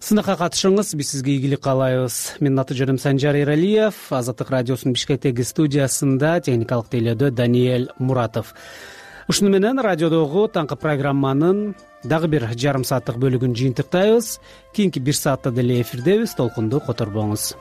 Speaker 1: Сынакка катышыңыз, биз сизге ийгилик каалайбыз. Менин аты жөнүм Санжар Эралиев, Азаттык радиосунун Бишкектеги студиясында техникалык тейлөөдө Даниэль Муратов. Ушуну менен радиодогу таңкы программанын дагы бир жарым сааттык бөлүгүн жыйынтыктайбыз. Кийинки бир саатта деле эфирдебиз, толкунду которбоңуз.